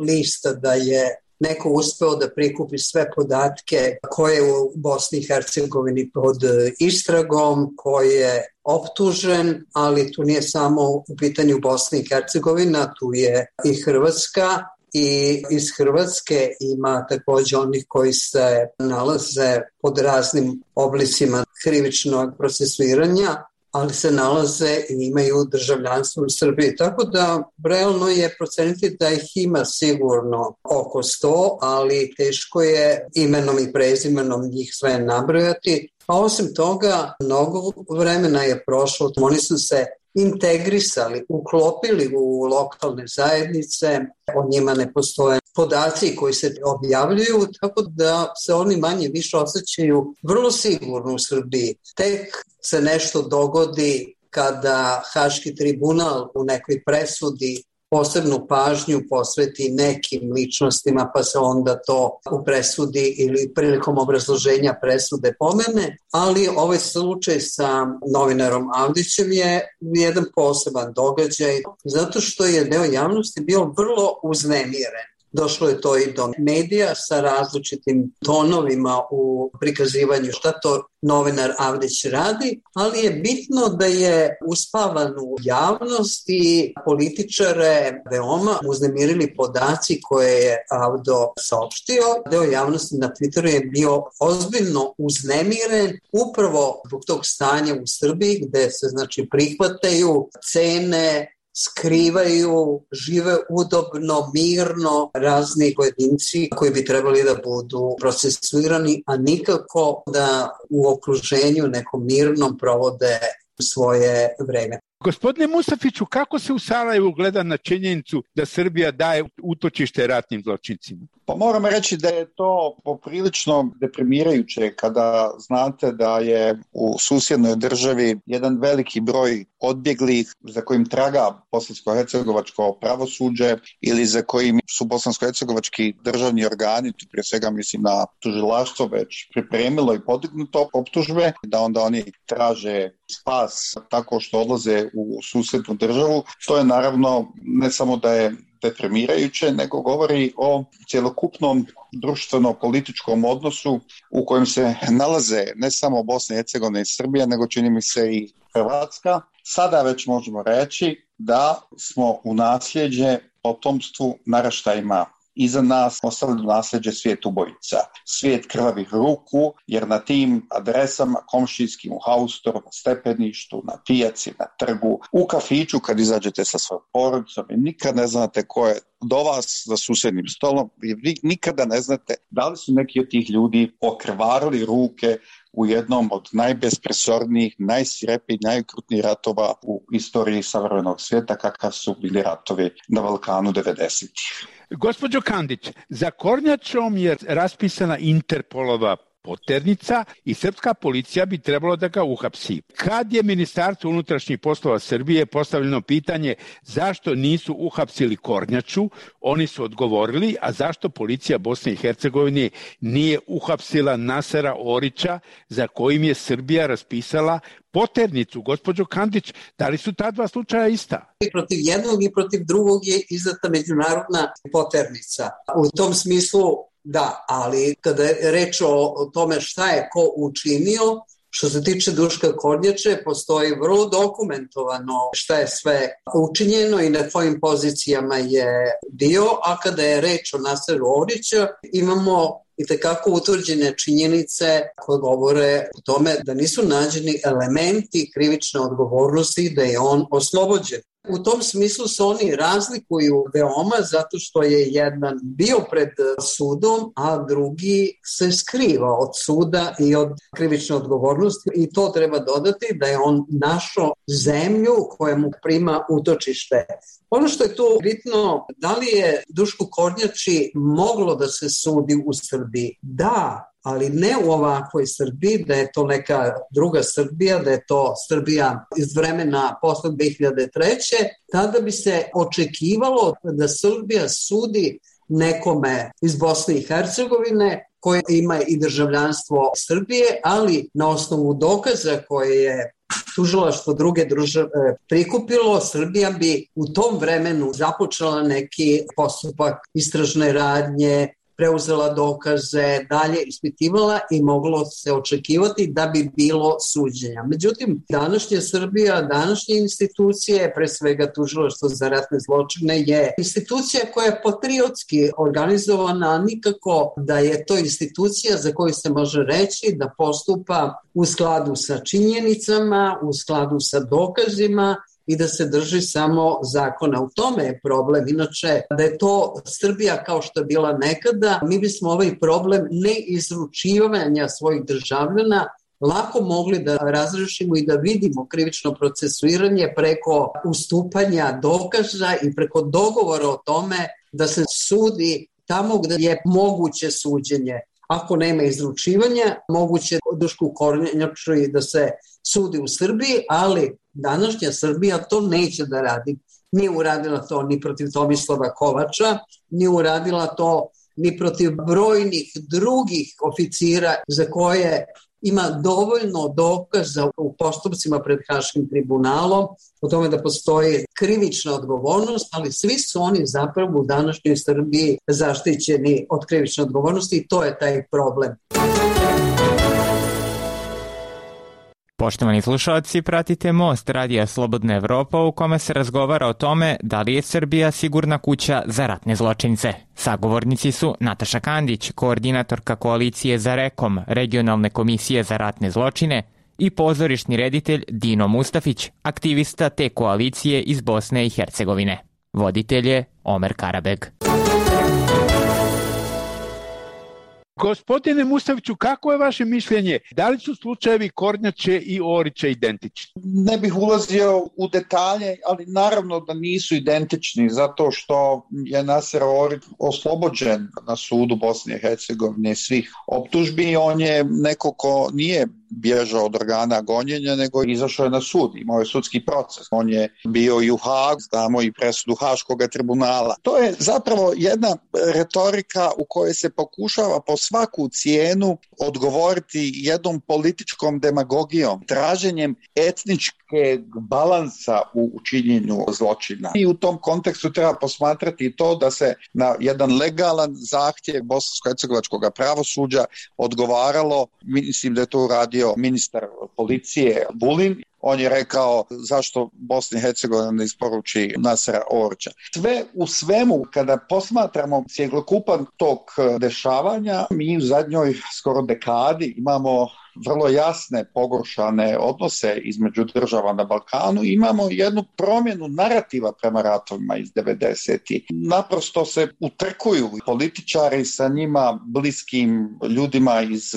Speaker 8: lista da je neko uspeo da prikupi sve podatke koje je u Bosni i Hercegovini pod istragom, ko je optužen, ali tu nije samo u pitanju Bosna i Hercegovina, tu je i Hrvatska. I iz Hrvatske ima također onih koji se nalaze pod raznim oblicima krivičnog procesuiranja, ali se nalaze i imaju državljanstvo u Srbiji. Tako da realno je proceniti da ih ima sigurno oko sto, ali teško je imenom i prezimenom njih sve nabrojati. A osim toga, mnogo vremena je prošlo, oni su se integrisali, uklopili u lokalne zajednice, o njima ne postoje podaci koji se objavljuju, tako da se oni manje više osjećaju vrlo sigurno u Srbiji. Tek se nešto dogodi kada Haški tribunal u nekoj presudi posebnu pažnju posveti nekim ličnostima, pa se onda to u presudi ili prilikom obrazloženja presude pomene, ali ovaj slučaj sa novinarom Avdićem je jedan poseban događaj, zato što je deo javnosti bio vrlo uznemiren. Došlo je to i do medija sa različitim tonovima u prikazivanju šta to novinar Avdić radi, ali je bitno da je uspavan u javnost i političare veoma uznemirili podaci koje je Avdo saopštio. Deo javnosti na Twitteru je bio ozbiljno uznemiren upravo zbog tog stanja u Srbiji gde se znači prihvataju cene skrivaju, žive udobno, mirno razni pojedinci koji bi trebali da budu procesuirani, a nikako da u okruženju nekom mirnom provode svoje vreme.
Speaker 7: Gospodine Mustafiću, kako se u Sarajevu gleda na činjenicu da Srbija daje utočište ratnim zločincima?
Speaker 10: Pa moram reći da je to poprilično deprimirajuće kada znate da je u susjednoj državi jedan veliki broj odbjeglih za kojim traga bosansko-hercegovačko pravosuđe ili za kojim su bosansko-hercegovački državni organi, tu prije svega mislim na tužilaštvo, već pripremilo i podignuto optužbe, da onda oni traže spas tako što odlaze u susjednu državu. To je naravno ne samo da je deprimirajuće, nego govori o cjelokupnom društveno-političkom odnosu u kojem se nalaze ne samo Bosna i Hercegovina i Srbija, nego čini mi se i Hrvatska. Sada već možemo reći da smo u nasljeđe potomstvu naraštajima iza nas ostavili nasljeđe svijet ubojica, svijet krvavih ruku, jer na tim adresama komšijskim, u haustoru, na stepeništu, na pijaci, na trgu, u kafiću kad izađete sa svojom porodicom i nikad ne znate ko je do vas za susjednim stolom i vi nikada ne znate da li su neki od tih ljudi okrvarili ruke u jednom od najbespresornijih, najsvirepijih, najokrutnijih ratova u istoriji savremenog svijeta, kakav su bili ratovi na Balkanu devedesetih.
Speaker 7: Gospođo Kandić, za Kornjačom je raspisana Interpolova poternica i srpska policija bi trebalo da ga uhapsi. Kad je Ministarstvo unutrašnjih poslova Srbije postavljeno pitanje zašto nisu uhapsili Kornjaču, oni su odgovorili, a zašto policija Bosne i Hercegovine nije uhapsila Nasera Orića za kojim je Srbija raspisala poternicu. Gospođo Kandić, da li su ta dva slučaja ista?
Speaker 8: I protiv jednog i protiv drugog je izdata međunarodna poternica. U tom smislu da, ali kada je reč o tome šta je ko učinio, što se tiče Duška Kornjače, postoji vrlo dokumentovano šta je sve učinjeno i na kojim pozicijama je bio, a kada je reč o Naseru Orića, imamo i tekako utvrđene činjenice koje govore o tome da nisu nađeni elementi krivične odgovornosti da je on oslobođen. U tom smislu se oni razlikuju veoma zato što je jedan bio pred sudom, a drugi se skriva od suda i od krivične odgovornosti i to treba dodati da je on našao zemlju koja mu prima utočište. Ono što je tu bitno, da li je Dušku Kornjači moglo da se sudi u Srbiji? Da, ali ne u ovakvoj Srbiji, da je to neka druga Srbija, da je to Srbija iz vremena posle dve hiljade treće. Tada bi se očekivalo da Srbija sudi nekome iz Bosne i Hercegovine koji ima i državljanstvo Srbije, ali na osnovu dokaza koje je tužilaštvo druge države prikupilo, Srbija bi u tom vremenu započela neki postupak istražne radnje, preuzela dokaze, dalje ispitivala i moglo se očekivati da bi bilo suđenja. Međutim, današnja Srbija, današnje institucije, pre svega tužilaštvo za ratne zločine, je institucija koja je patriotski organizovana, a nikako da je to institucija za koju se može reći da postupa u skladu sa činjenicama, u skladu sa dokazima i da se drži samo zakona. U tome je problem. Inače, da je to Srbija kao što je bila nekada, mi bismo ovaj problem neizručivanja svojih državljana lako mogli da razrešimo i da vidimo krivično procesuiranje preko ustupanja dokaza i preko dogovora o tome da se sudi tamo gde je moguće suđenje. Ako nema izručivanja, moguće Dušku Kornjaču da se sudi u Srbiji, ali današnja Srbija to neće da radi. Nije uradila to ni protiv Tomislava Kovača, nije uradila to ni protiv brojnih drugih oficira za koje ima dovoljno dokaza u postupcima pred Haškim tribunalom o tome da postoji krivična odgovornost, ali svi su oni zapravo u današnjoj Srbiji zaštićeni od krivične odgovornosti i to je taj problem.
Speaker 11: Poštovani slušalci, pratite Most Radija Slobodna Evropa u kome se razgovara o tome da li je Srbija sigurna kuća za ratne zločince. Sagovornici su Nataša Kandić, koordinatorka koalicije za REKOM, regionalne komisije za ratne zločine, i pozorišni reditelj Dino Mustafić, aktivista te koalicije iz Bosne i Hercegovine. Voditelj je Omer Karabeg.
Speaker 7: Gospodine Mustafiću, kako je vaše mišljenje? Da li su slučajevi Kornjače i Orića identični?
Speaker 10: Ne bih ulazio u detalje, ali naravno da nisu identični, zato što je Naser Orić oslobođen na sudu Bosne i Hercegovine svih optužbi. On je neko ko nije bježao od organa gonjenja, nego izašao je na sud, imao je sudski proces. On je bio i u Hagu, znamo i presudu Haškog tribunala. To je zapravo jedna retorika u kojoj se pokušava po svaku cijenu odgovoriti jednom političkom demagogijom, traženjem etničkog balansa u činjenju zločina. I u tom kontekstu treba posmatrati to da se na jedan legalan zahtjev bosansko-hercegovačkog pravosuđa odgovaralo, mislim da je to uradio ministar policije Vulin. On je rekao zašto Bosna i Hercegovina ne isporuči Nasera Orića. Sve u svemu, kada posmatramo cjelokupan tok dešavanja, mi u zadnjoj skoro dekadi imamo vrlo jasne pogoršane odnose između država na Balkanu. Imamo jednu promjenu narativa prema ratovima iz devedesetih. Naprosto se utrkuju političari sa njima bliskim ljudima iz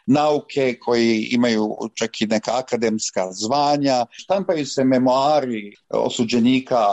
Speaker 10: nauke koji imaju čak i neka akademska zvanja. Štampaju se memoari osuđenika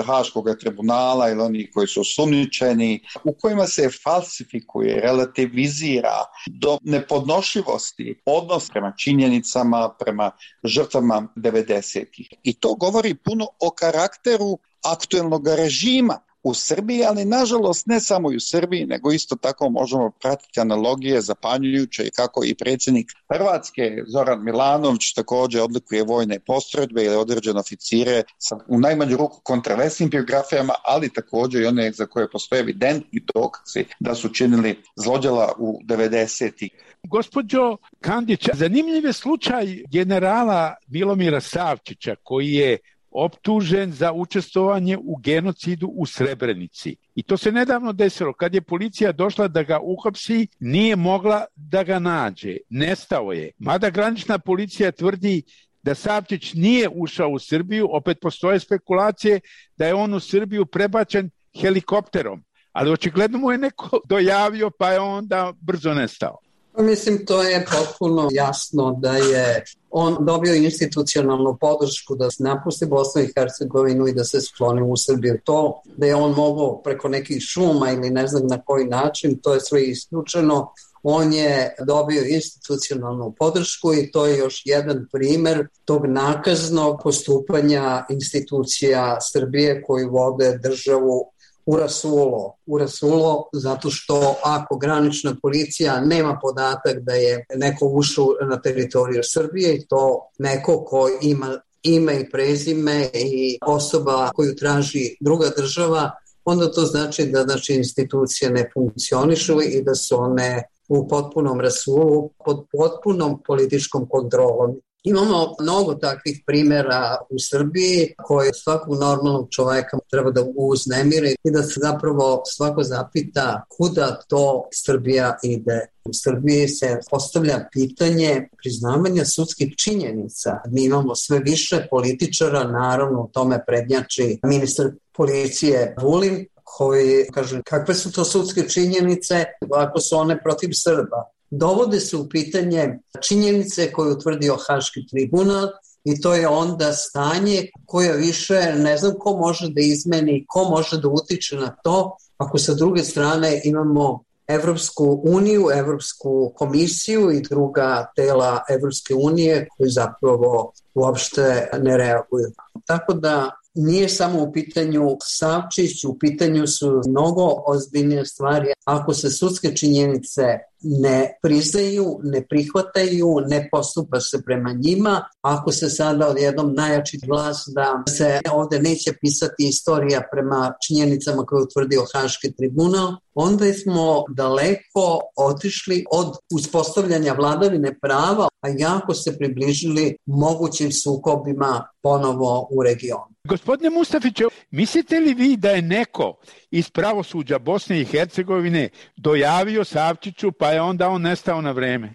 Speaker 10: Haškog tribunala ili oni koji su osumnjičeni, u kojima se falsifikuje, relativizira do nepodnošljivosti odnos prema činjenicama, prema žrtvama devedesetih. I to govori puno o karakteru aktuelnog režima u Srbiji, ali nažalost ne samo i u Srbiji, nego isto tako možemo pratiti analogije zapanjujuće i kako i predsjednik Hrvatske Zoran Milanović također odlikuje vojne postrojbe ili određene oficire sa u najmanju ruku kontraversnim biografijama, ali također i one za koje postoje evidentni dokazi da su činili zlođela u devedesetih.
Speaker 7: Gospođo Kandić, zanimljiv je slučaj generala Milomira Savčića koji je optužen za učestvovanje u genocidu u Srebrenici. I to se nedavno desilo. Kad je policija došla da ga uhapsi, nije mogla da ga nađe. Nestao je. Mada granična policija tvrdi da Savčić nije ušao u Srbiju, opet postoje spekulacije da je on u Srbiju prebačen helikopterom. Ali očigledno mu je neko dojavio pa je onda brzo nestao.
Speaker 8: Mislim, to je potpuno jasno da je on dobio institucionalnu podršku da se napusti Bosnu i Hercegovinu i da se skloni u Srbiju. To da je on mogao preko nekih šuma ili ne znam na koji način, to je sve isključeno. On je dobio institucionalnu podršku i to je još jedan primjer tog nakaznog postupanja institucija Srbije koji vode državu u rasulo. U rasulo zato što ako granična policija nema podatak da je neko ušao na teritoriju Srbije i to neko ko ima ime i prezime i osoba koju traži druga država, onda to znači da znači, institucije ne funkcionišu i da su one u potpunom rasulu, pod potpunom političkom kontrolom. Imamo mnogo takvih primjera u Srbiji koje svakog normalnog čovjeka treba da uznemire i da se zapravo svako zapita kuda to Srbija ide. U Srbiji se postavlja pitanje priznavanja sudskih činjenica. Mi imamo sve više političara, naravno u tome prednjači ministar policije Vulin, koji kaže kakve su to sudske činjenice ako su one protiv Srba. Dovode se u pitanje činjenice koje je utvrdio Haški tribunal i to je onda stanje koje više ne znam ko može da izmeni, ko može da utiče na to ako sa druge strane imamo Evropsku uniju, Evropsku komisiju i druga tela Evropske unije koji zapravo uopšte ne reaguju. Tako da nije samo u pitanju Savčić, u pitanju su mnogo ozbiljnije stvari. Ako se sudske činjenice ne priznaju, ne prihvataju, ne postupa se prema njima, ako se sada odjednom najjači glas da se ovdje neće pisati istorija prema činjenicama koje je utvrdio Haški tribunal, onda smo daleko otišli od uspostavljanja vladavine prava, a jako se približili mogućim sukobima ponovo u regionu.
Speaker 7: Gospodine Mustafiću, mislite li vi da je neko iz pravosuđa Bosne i Hercegovine dojavio Savčiću pa je onda on nestao na vreme?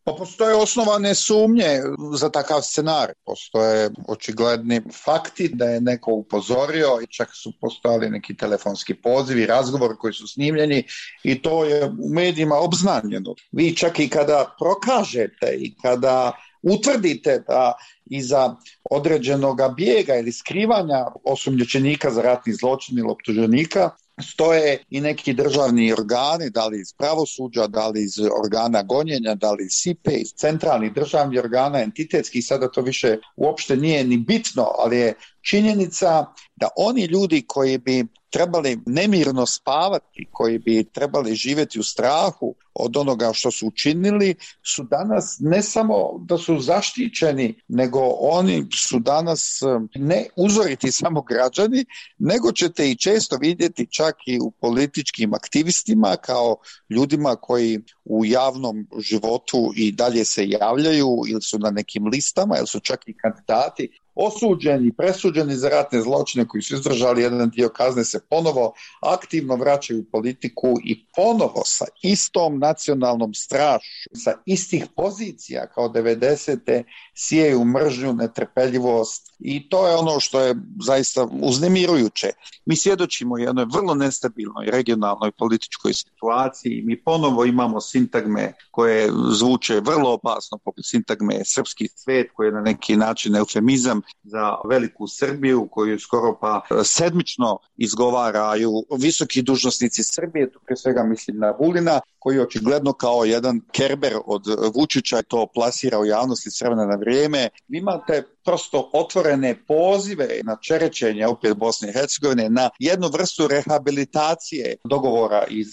Speaker 10: Pa postoje osnovane sumnje za takav scenar. Postoje očigledni fakti da je neko upozorio i čak su postojali neki telefonski pozivi, razgovori koji su snimljeni i to je u medijima obznanjeno. Vi čak i kada prokažete i kada utvrdite da iza određenog bijega ili skrivanja osumnjičenika za ratni zločin ili optuženika stoje i neki državni organi, da li iz pravosuđa, da li iz organa gonjenja, da li iz S I P E, iz centralnih državnih organa, entitetskih, sada to više uopšte nije ni bitno, ali je činjenica da oni ljudi koji bi trebali nemirno spavati, koji bi trebali živjeti u strahu od onoga što su učinili, su danas ne samo da su zaštićeni, nego oni su danas ne uzoriti samo građani, nego ćete i često vidjeti čak i u političkim aktivistima kao ljudima koji u javnom životu i dalje se javljaju ili su na nekim listama ili su čak i kandidati osuđeni, presuđeni za ratne zločine koji su izdržali jedan dio kazne, se ponovo aktivno vraćaju u politiku i ponovo sa istom nacionalnom strašću, sa istih pozicija kao devedesete sijaju mržnju, netrpeljivost i to je ono što je zaista uznemirujuće. Mi svjedočimo jednoj vrlo nestabilnoj regionalnoj političkoj situaciji, mi ponovo imamo sintagme koje zvuče vrlo opasno, poput sintagme srpski svet, koji je na neki način eufemizam za veliku Srbiju, koju skoro pa sedmično izgovaraju visoki dužnosnici Srbije, tu pre svega mislim na Vulina, koji očigledno kao jedan Kerber od Vučića to plasira u javnosti s vremena na vrijeme. Vi imate prosto otvorene pozive na čerečenje opet Bosne i Hercegovine, na jednu vrstu rehabilitacije dogovora iz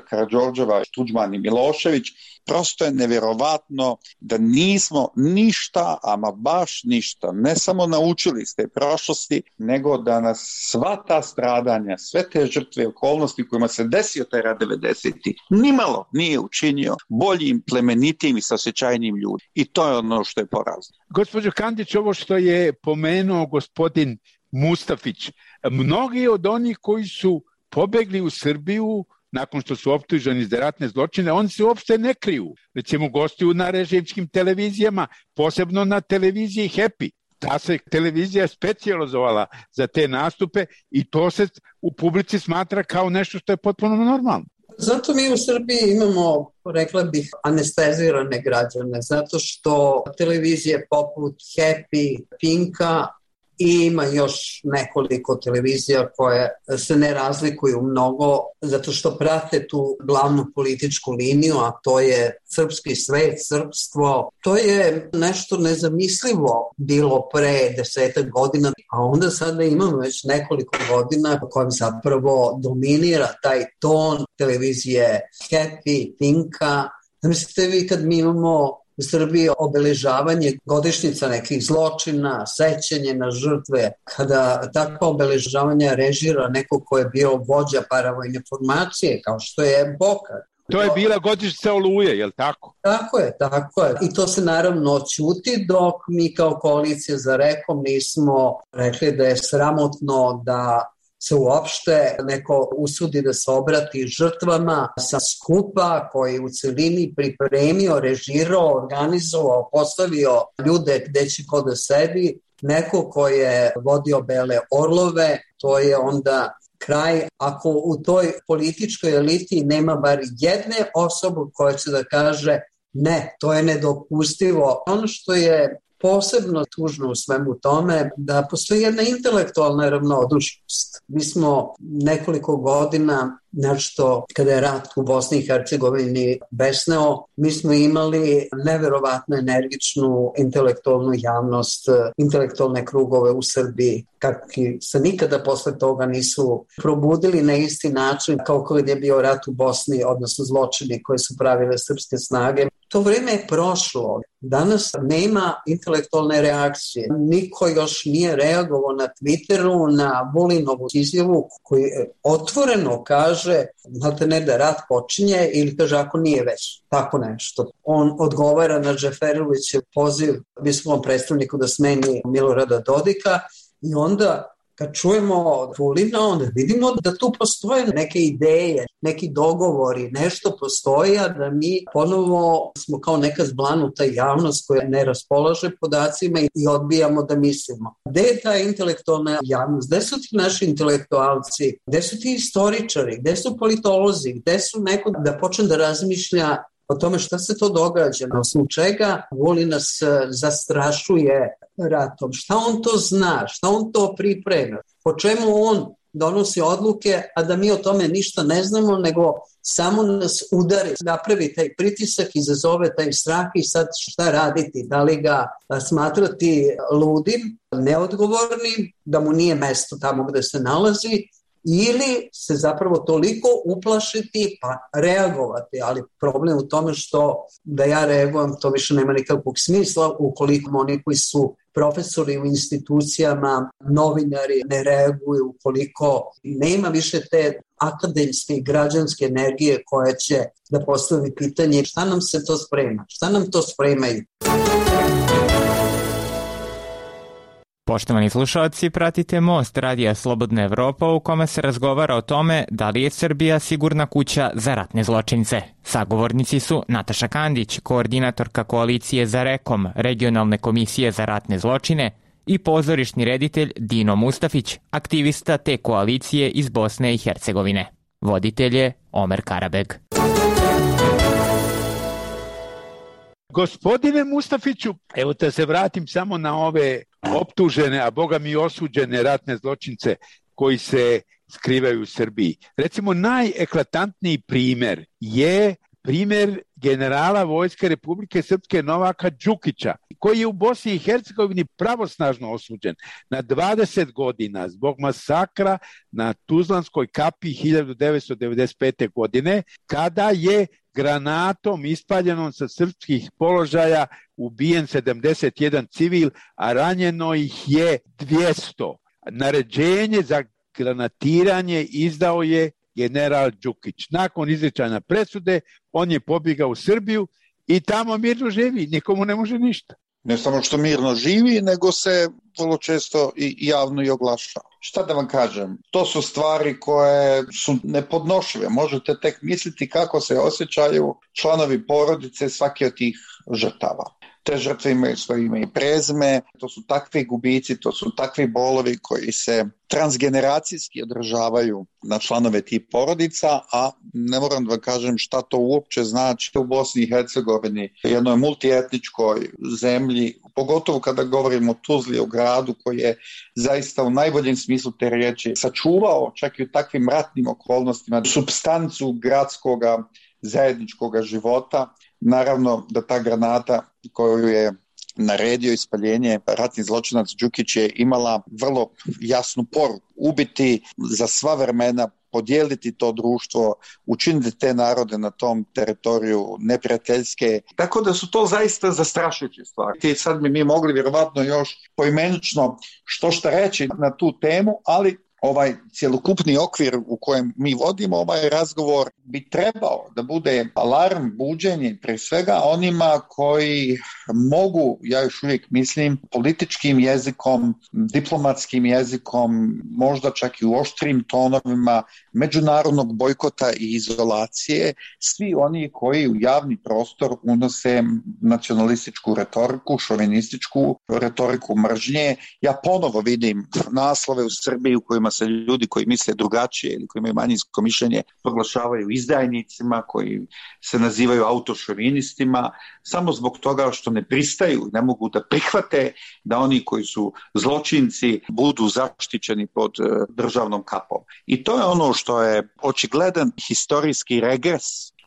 Speaker 10: Karađorđeva, Tuđman i Milošević. Prosto je nevjerovatno da nismo ništa, ama baš ništa, ne samo naučili iz te prošlosti, nego da nas sva ta stradanja, sve te žrtve, okolnosti kojima se desio taj rat devedesetih, nimalo nije učinio boljim, plemenitim i saosjećajnim ljudima. I to je ono što je porazno.
Speaker 7: Gospođo Kandić, ovo što je pomenuo gospodin Mustafić, mnogi od onih koji su pobegli u Srbiju nakon što su optuženi za ratne zločine, oni se uopšte ne kriju. Recimo, gostuju na režimskim televizijama, posebno na televiziji Happy. Ta se televizija specijalizovala za te nastupe i to se u publici smatra kao nešto što je potpuno normalno.
Speaker 8: Zato mi u Srbiji imamo, rekla bih, anestezirane građane, zato što televizije poput Happy, Pinka i ima još nekoliko televizija koje se ne razlikuju mnogo zato što prate tu glavnu političku liniju, a to je srpski svet, srpstvo. To je nešto nezamislivo bilo pre desetak godina, a onda sada imamo već nekoliko godina u kojem zapravo dominira taj ton televizije Happy, Pinka. Mislite vi kad mi imamo u Srbiji obeležavanje godišnjica nekih zločina, sećanje na žrtve, kada takva obeležavanja režira neko ko je bio vođa paravojne formacije, kao što je Boka.
Speaker 7: To je bila godišnjica Oluje, je li tako?
Speaker 8: Tako je, tako je. I to se naravno ćuti dok mi kao koalicija za Rekom nismo rekli da je sramotno da se uopšte neko usudi da se obrati žrtvama sa skupa koji u celini pripremio, režirao, organizovao, postavio ljude gde će ko da sedi. Neko ko je vodio Bele orlove, to je onda kraj. Ako u toj političkoj eliti nema bar jedne osobe koja će da kaže ne, to je nedopustivo. Ono što je posebno tužno u svemu tome da postoji jedna intelektualna ravnodušnost. Mi smo nekoliko godina, nešto kada je rat u Bosni i Hercegovini besneo, mi smo imali neverovatno energičnu intelektualnu javnost, intelektualne krugove u Srbiji, kakvi se nikada posle toga nisu probudili na isti način kao kada je bio rat u Bosni, odnosno zločini koje su pravile srpske snage. To vreme je prošlo. Danas nema intelektualne reakcije. Niko još nije reagovao na Twitteru, na Vulinovu izjavu koji otvoreno kaže znate ne da rat počinje ili kaže ako nije već tako nešto. On odgovara na Džeferovićev poziv visokom predstavniku da smeni Milorada Dodika i onda Kad čujemo od Vulina, onda vidimo da tu postoje neke ideje, neki dogovori, nešto postoji, a da mi ponovo smo kao neka zblanuta javnost koja ne raspolaže podacima i odbijamo da mislimo. Gde je ta intelektualna javnost? Gde su ti naši intelektualci? Gde su ti istoričari? Gde su politolozi? Gde su neko da počne da razmišlja o tome šta se to događa, na osnovu čega Vulin nas zastrašuje ratom, šta on to zna, šta on to priprema, po čemu on donosi odluke, a da mi o tome ništa ne znamo, nego samo nas udari, napravi taj pritisak, izazove taj strah i sad šta raditi, da li ga smatrati ludim, neodgovornim, da mu nije mesto tamo gde se nalazi, ili se zapravo toliko uplašiti pa reagovati, ali problem u tome što da ja reagujem to više nema nikakvog smisla ukoliko oni koji su profesori u institucijama, novinari ne reaguju, ukoliko nema više te akademske i građanske energije koja će da postavi pitanje šta nam se to sprema, šta nam to spremaju.
Speaker 11: Poštovani slušalci, pratite Most Radija Slobodna Evropa u kome se razgovara o tome da li je Srbija sigurna kuća za ratne zločince. Sagovornici su Nataša Kandić, koordinatorka koalicije za Rekom, regionalne komisije za ratne zločine, i pozorišni reditelj Dino Mustafić, aktivista te koalicije iz Bosne i Hercegovine. Voditelj je Omer Karabeg.
Speaker 7: Gospodine Mustafiću, evo da se vratim samo na ove optužene, a boga mi osuđene ratne zločince koji se skrivaju u Srbiji. Recimo, najeklatantniji primer je primer generala Vojske Republike Srpske Novaka Đukića, koji je u Bosni i Hercegovini pravosnažno osuđen na dvadeset godina zbog masakra na Tuzlanskoj kapiji hiljadu devetsto devedeset pete. godine, kada je granatom ispaljenom sa srpskih položaja ubijen sedamdeset jedan civil, a ranjeno ih je dvjesto. Naređenje za granatiranje izdao je general Đukić. Nakon izricanja presude, on je pobjegao u Srbiju i tamo mirno živi, nikomu ne može ništa.
Speaker 10: Ne samo što mirno živi, nego se vrlo često i javno i oglašava. Šta da vam kažem? To su stvari koje su nepodnošljive. Možete tek misliti kako se osjećaju članovi porodice svake od tih žrtava. Te žrtve imaju svoje ime i prezime, to su takvi gubici, to su takvi bolovi koji se transgeneracijski održavaju na članove tih porodica, a ne moram da vam kažem šta to uopće znači u Bosni i Hercegovini, jednoj multietničkoj zemlji, pogotovo kada govorimo o Tuzli, o gradu koji je zaista u najboljem smislu te riječi sačuvao čak i u takvim ratnim okolnostima supstancu gradskoga zajedničkoga života. Naravno da ta granata koju je naredio ispaljenje ratni zločinac Đukić je imala vrlo jasnu poruku. Ubiti za sva vremena, podijeliti to društvo, učiniti te narode na tom teritoriju neprijateljske. Tako da su to zaista zastrašujuće stvari. I sad bi mi mogli vjerovatno još poimenično što šta reći na tu temu, ali ovaj cjelokupni okvir u kojem mi vodimo ovaj razgovor bi trebao da bude alarm, buđenje pre svega onima koji mogu, ja još uvijek mislim, političkim jezikom, diplomatskim jezikom, možda čak i u oštrim tonovima međunarodnog bojkota i izolacije, svi oni koji u javni prostor unose nacionalističku retoriku, šovinističku retoriku mržnje. Ja ponovo vidim naslove u Srbiji u kojima se ljudi koji misle drugačije ili koji imaju manjinsko mišljenje proglašavaju izdajnicima, koji se nazivaju autošovinistima, samo zbog toga što ne pristaju, ne mogu da prihvate da oni koji su zločinci budu zaštićeni pod državnom kapom. I to je ono što je očigledan historijski regres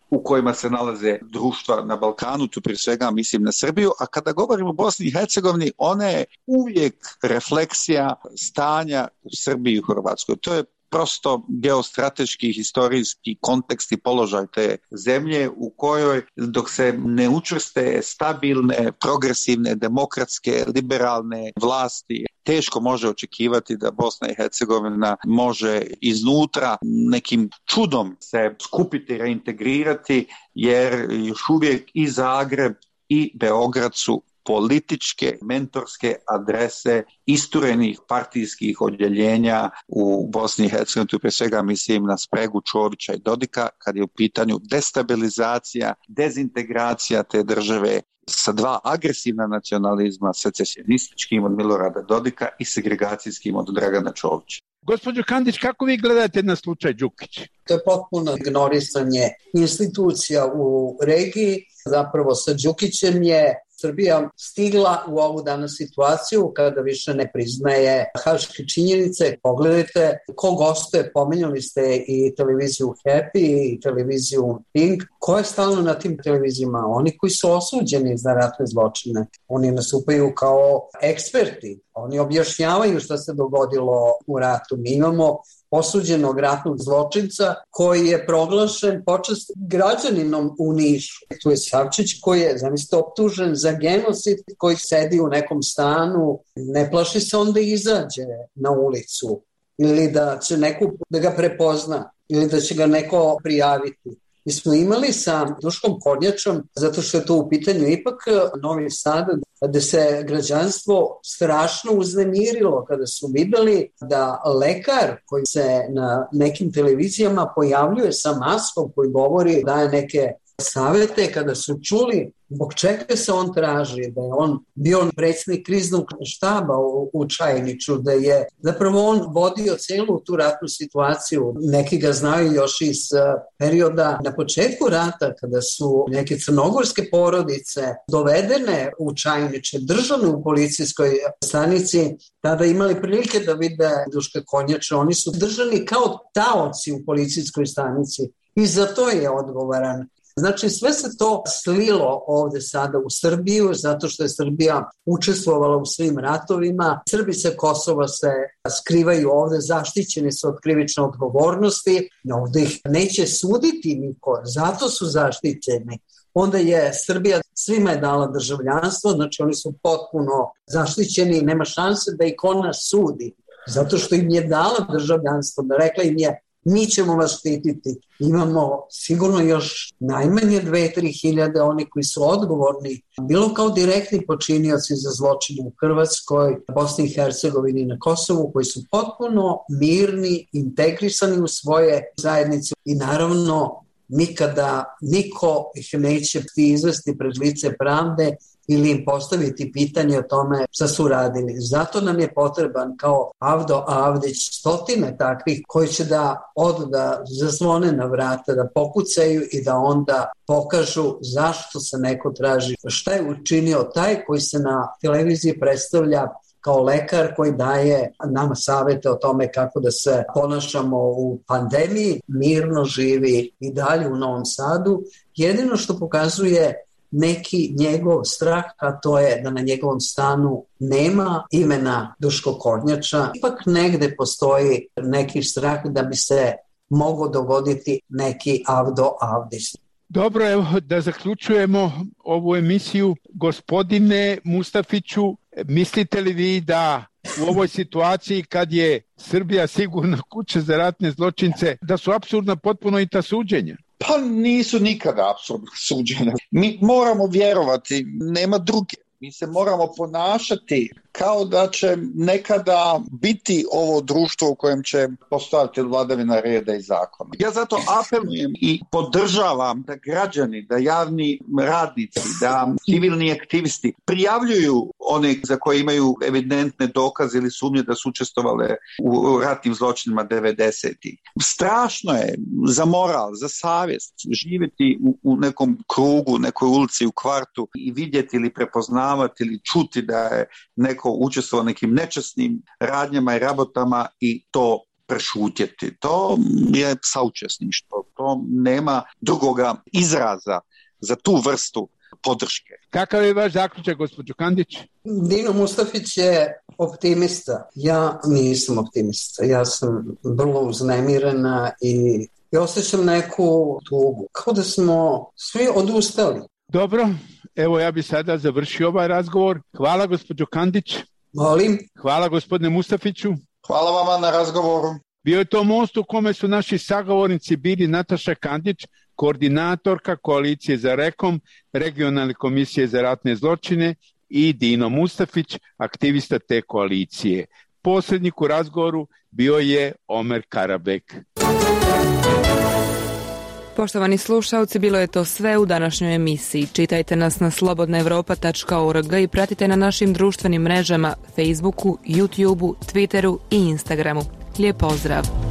Speaker 10: u kojima se nalaze društva na Balkanu, tu prije svega mislim na Srbiju, a kada govorimo o Bosni i Hercegovini, ona je uvijek refleksija stanja u Srbiji i u Hrvatskoj. To je prosto geostrateški, historijski kontekst i položaj te zemlje u kojoj dok se ne učvrste stabilne, progresivne, demokratske, liberalne vlasti, teško može očekivati da Bosna i Hercegovina može iznutra nekim čudom se skupiti, reintegrirati, jer još uvijek i Zagreb i Beograd su političke, mentorske adrese isturenih partijskih odjeljenja u Bosni i Hercegovini, tu pre svega mislim na spregu Čovića i Dodika, kad je u pitanju destabilizacija, dezintegracija te države sa dva agresivna nacionalizma, secesionističkim od Milorada Dodika i segregacijskim od Dragana Čovića.
Speaker 7: Gospođo Kandić, kako vi gledate na slučaj Đukić?
Speaker 8: To je potpuno ignorisanje institucija u regiji. Zapravo sa Đukićem je Srbija stigla u ovu danas situaciju kada više ne priznaje haške činjenice. Pogledajte ko gostuje, pomenuli ste i televiziju Happy i televiziju Pink. Ko je stalno na tim televizijama? Oni koji su osuđeni za ratne zločine. Oni nastupaju kao eksperti. Oni objašnjavaju šta se dogodilo u ratu. Mi imamo osuđenog ratnog zločinca koji je proglašen počast građaninom u Nišu. Tu je Savčić koji je, zamislite, optužen za genocid, koji sedi u nekom stanu, ne plaši se onda izađe na ulicu ili da će neko da ga prepozna ili da će ga neko prijaviti. Mi smo imali sa Duškom Kornjačom, zato što je to u pitanju ipak Novi Sad, gde se građanstvo strašno uznemirilo kada su videli da lekar koji se na nekim televizijama pojavljuje sa maskom koji govori, daje neke savete, kada su čuli zbog čega se on traži, da je on bio predsjednik kriznog štaba u, u Čajniću, da je zapravo on vodio celu tu ratnu situaciju. Neki ga znaju još iz perioda na početku rata, kada su neke crnogorske porodice dovedene u Čajniće, držane u policijskoj stanici, tada imali prilike da vide Duška Kornjača. Oni su držani kao taoci u policijskoj stanici i za to je odgovoran. Znači sve se to slilo ovde sada u Srbiju zato što je Srbija učestvovala u svim ratovima. Srbi sa Kosova se skrivaju ovde, zaštićeni su od krivične odgovornosti. Ovde ih neće suditi niko, zato su zaštićeni. Onda je Srbija svima je dala državljanstvo, znači oni su potpuno zaštićeni i nema šanse da ih ona sudi. Zato što im je dala državljanstvo, da rekla im je mi ćemo vas štititi. Imamo sigurno još najmanje dve do tri hiljade oni koji su odgovorni, bilo kao direktni počinioci za zločine u Hrvatskoj, Bosni i Hercegovini i na Kosovu, koji su potpuno mirni, integrisani u svoje zajednice i naravno nikada niko ih neće izvesti pred lice pravde ili im postaviti pitanje o tome šta su radili. Zato nam je potreban kao Avdo Avdić stotine takvih koji će da odu, da zazvone na vrata, da pokucaju i da onda pokažu zašto se neko traži. Šta je učinio taj koji se na televiziji predstavlja kao lekar koji daje nama savete o tome kako da se ponašamo u pandemiji, mirno živi i dalje u Novom Sadu. Jedino što pokazuje neki njegov strah, a to je da na njegovom stanu nema imena Duško Kornjača. Ipak negde postoji neki strah da bi se mogao dogoditi neki Avdo Avdić.
Speaker 7: Dobro, evo da zaključujemo ovu emisiju. Gospodine Mustafiću, mislite li vi da u ovoj situaciji kad je Srbija sigurna kuća za ratne zločince, da su apsurdna potpuno i ta suđenja?
Speaker 10: Pa nisu nikada apsurdna suđenja. Mi moramo vjerovati, nema druge. Mi se moramo ponašati kao da će nekada biti ovo društvo u kojem će postojati vladavina reda i zakona. Ja zato apelujem i podržavam da građani, da javni radnici, da civilni aktivisti prijavljuju one za koje imaju evidentne dokaze ili sumnje da su učestvovale u ratnim zločinima devedesetih. Strašno je za moral, za savjest živjeti u, u nekom krugu, nekoj ulici, u kvartu i vidjeti ili prepoznavati ili čuti da je neko učestvovao nekim nečasnim radnjama i rabotama i to prešutjeti. To je saučesništvo. To nema drugoga izraza za tu vrstu podrške.
Speaker 7: Kakav je vaš zaključak, gospođo Kandić?
Speaker 8: Dino Mustafić je optimista. Ja nisam optimista. Ja sam vrlo uznemirena i, i osjećam neku tugu. Kao da smo svi odustali.
Speaker 7: Dobro, evo ja bih sada završio ovaj razgovor. Hvala gospođo Kandić.
Speaker 8: Molim.
Speaker 7: Hvala gospodine Mustafiću.
Speaker 10: Hvala vama na razgovoru.
Speaker 7: Bio je to most u kome su naši sagovornici bili Nataša Kandić, koordinatorka Koalicije za Rekom, Regionalne komisije za ratne zločine i Dino Mustafić, aktivista te koalicije. Posrednik u razgovoru bio je Omer Karabek.
Speaker 5: Poštovani slušalci, bilo je to sve u današnjoj emisiji. Čitajte nas na slobodna evropa tačka org i pratite na našim društvenim mrežama Facebooku, YouTubeu, Twitteru i Instagramu. Lijep pozdrav!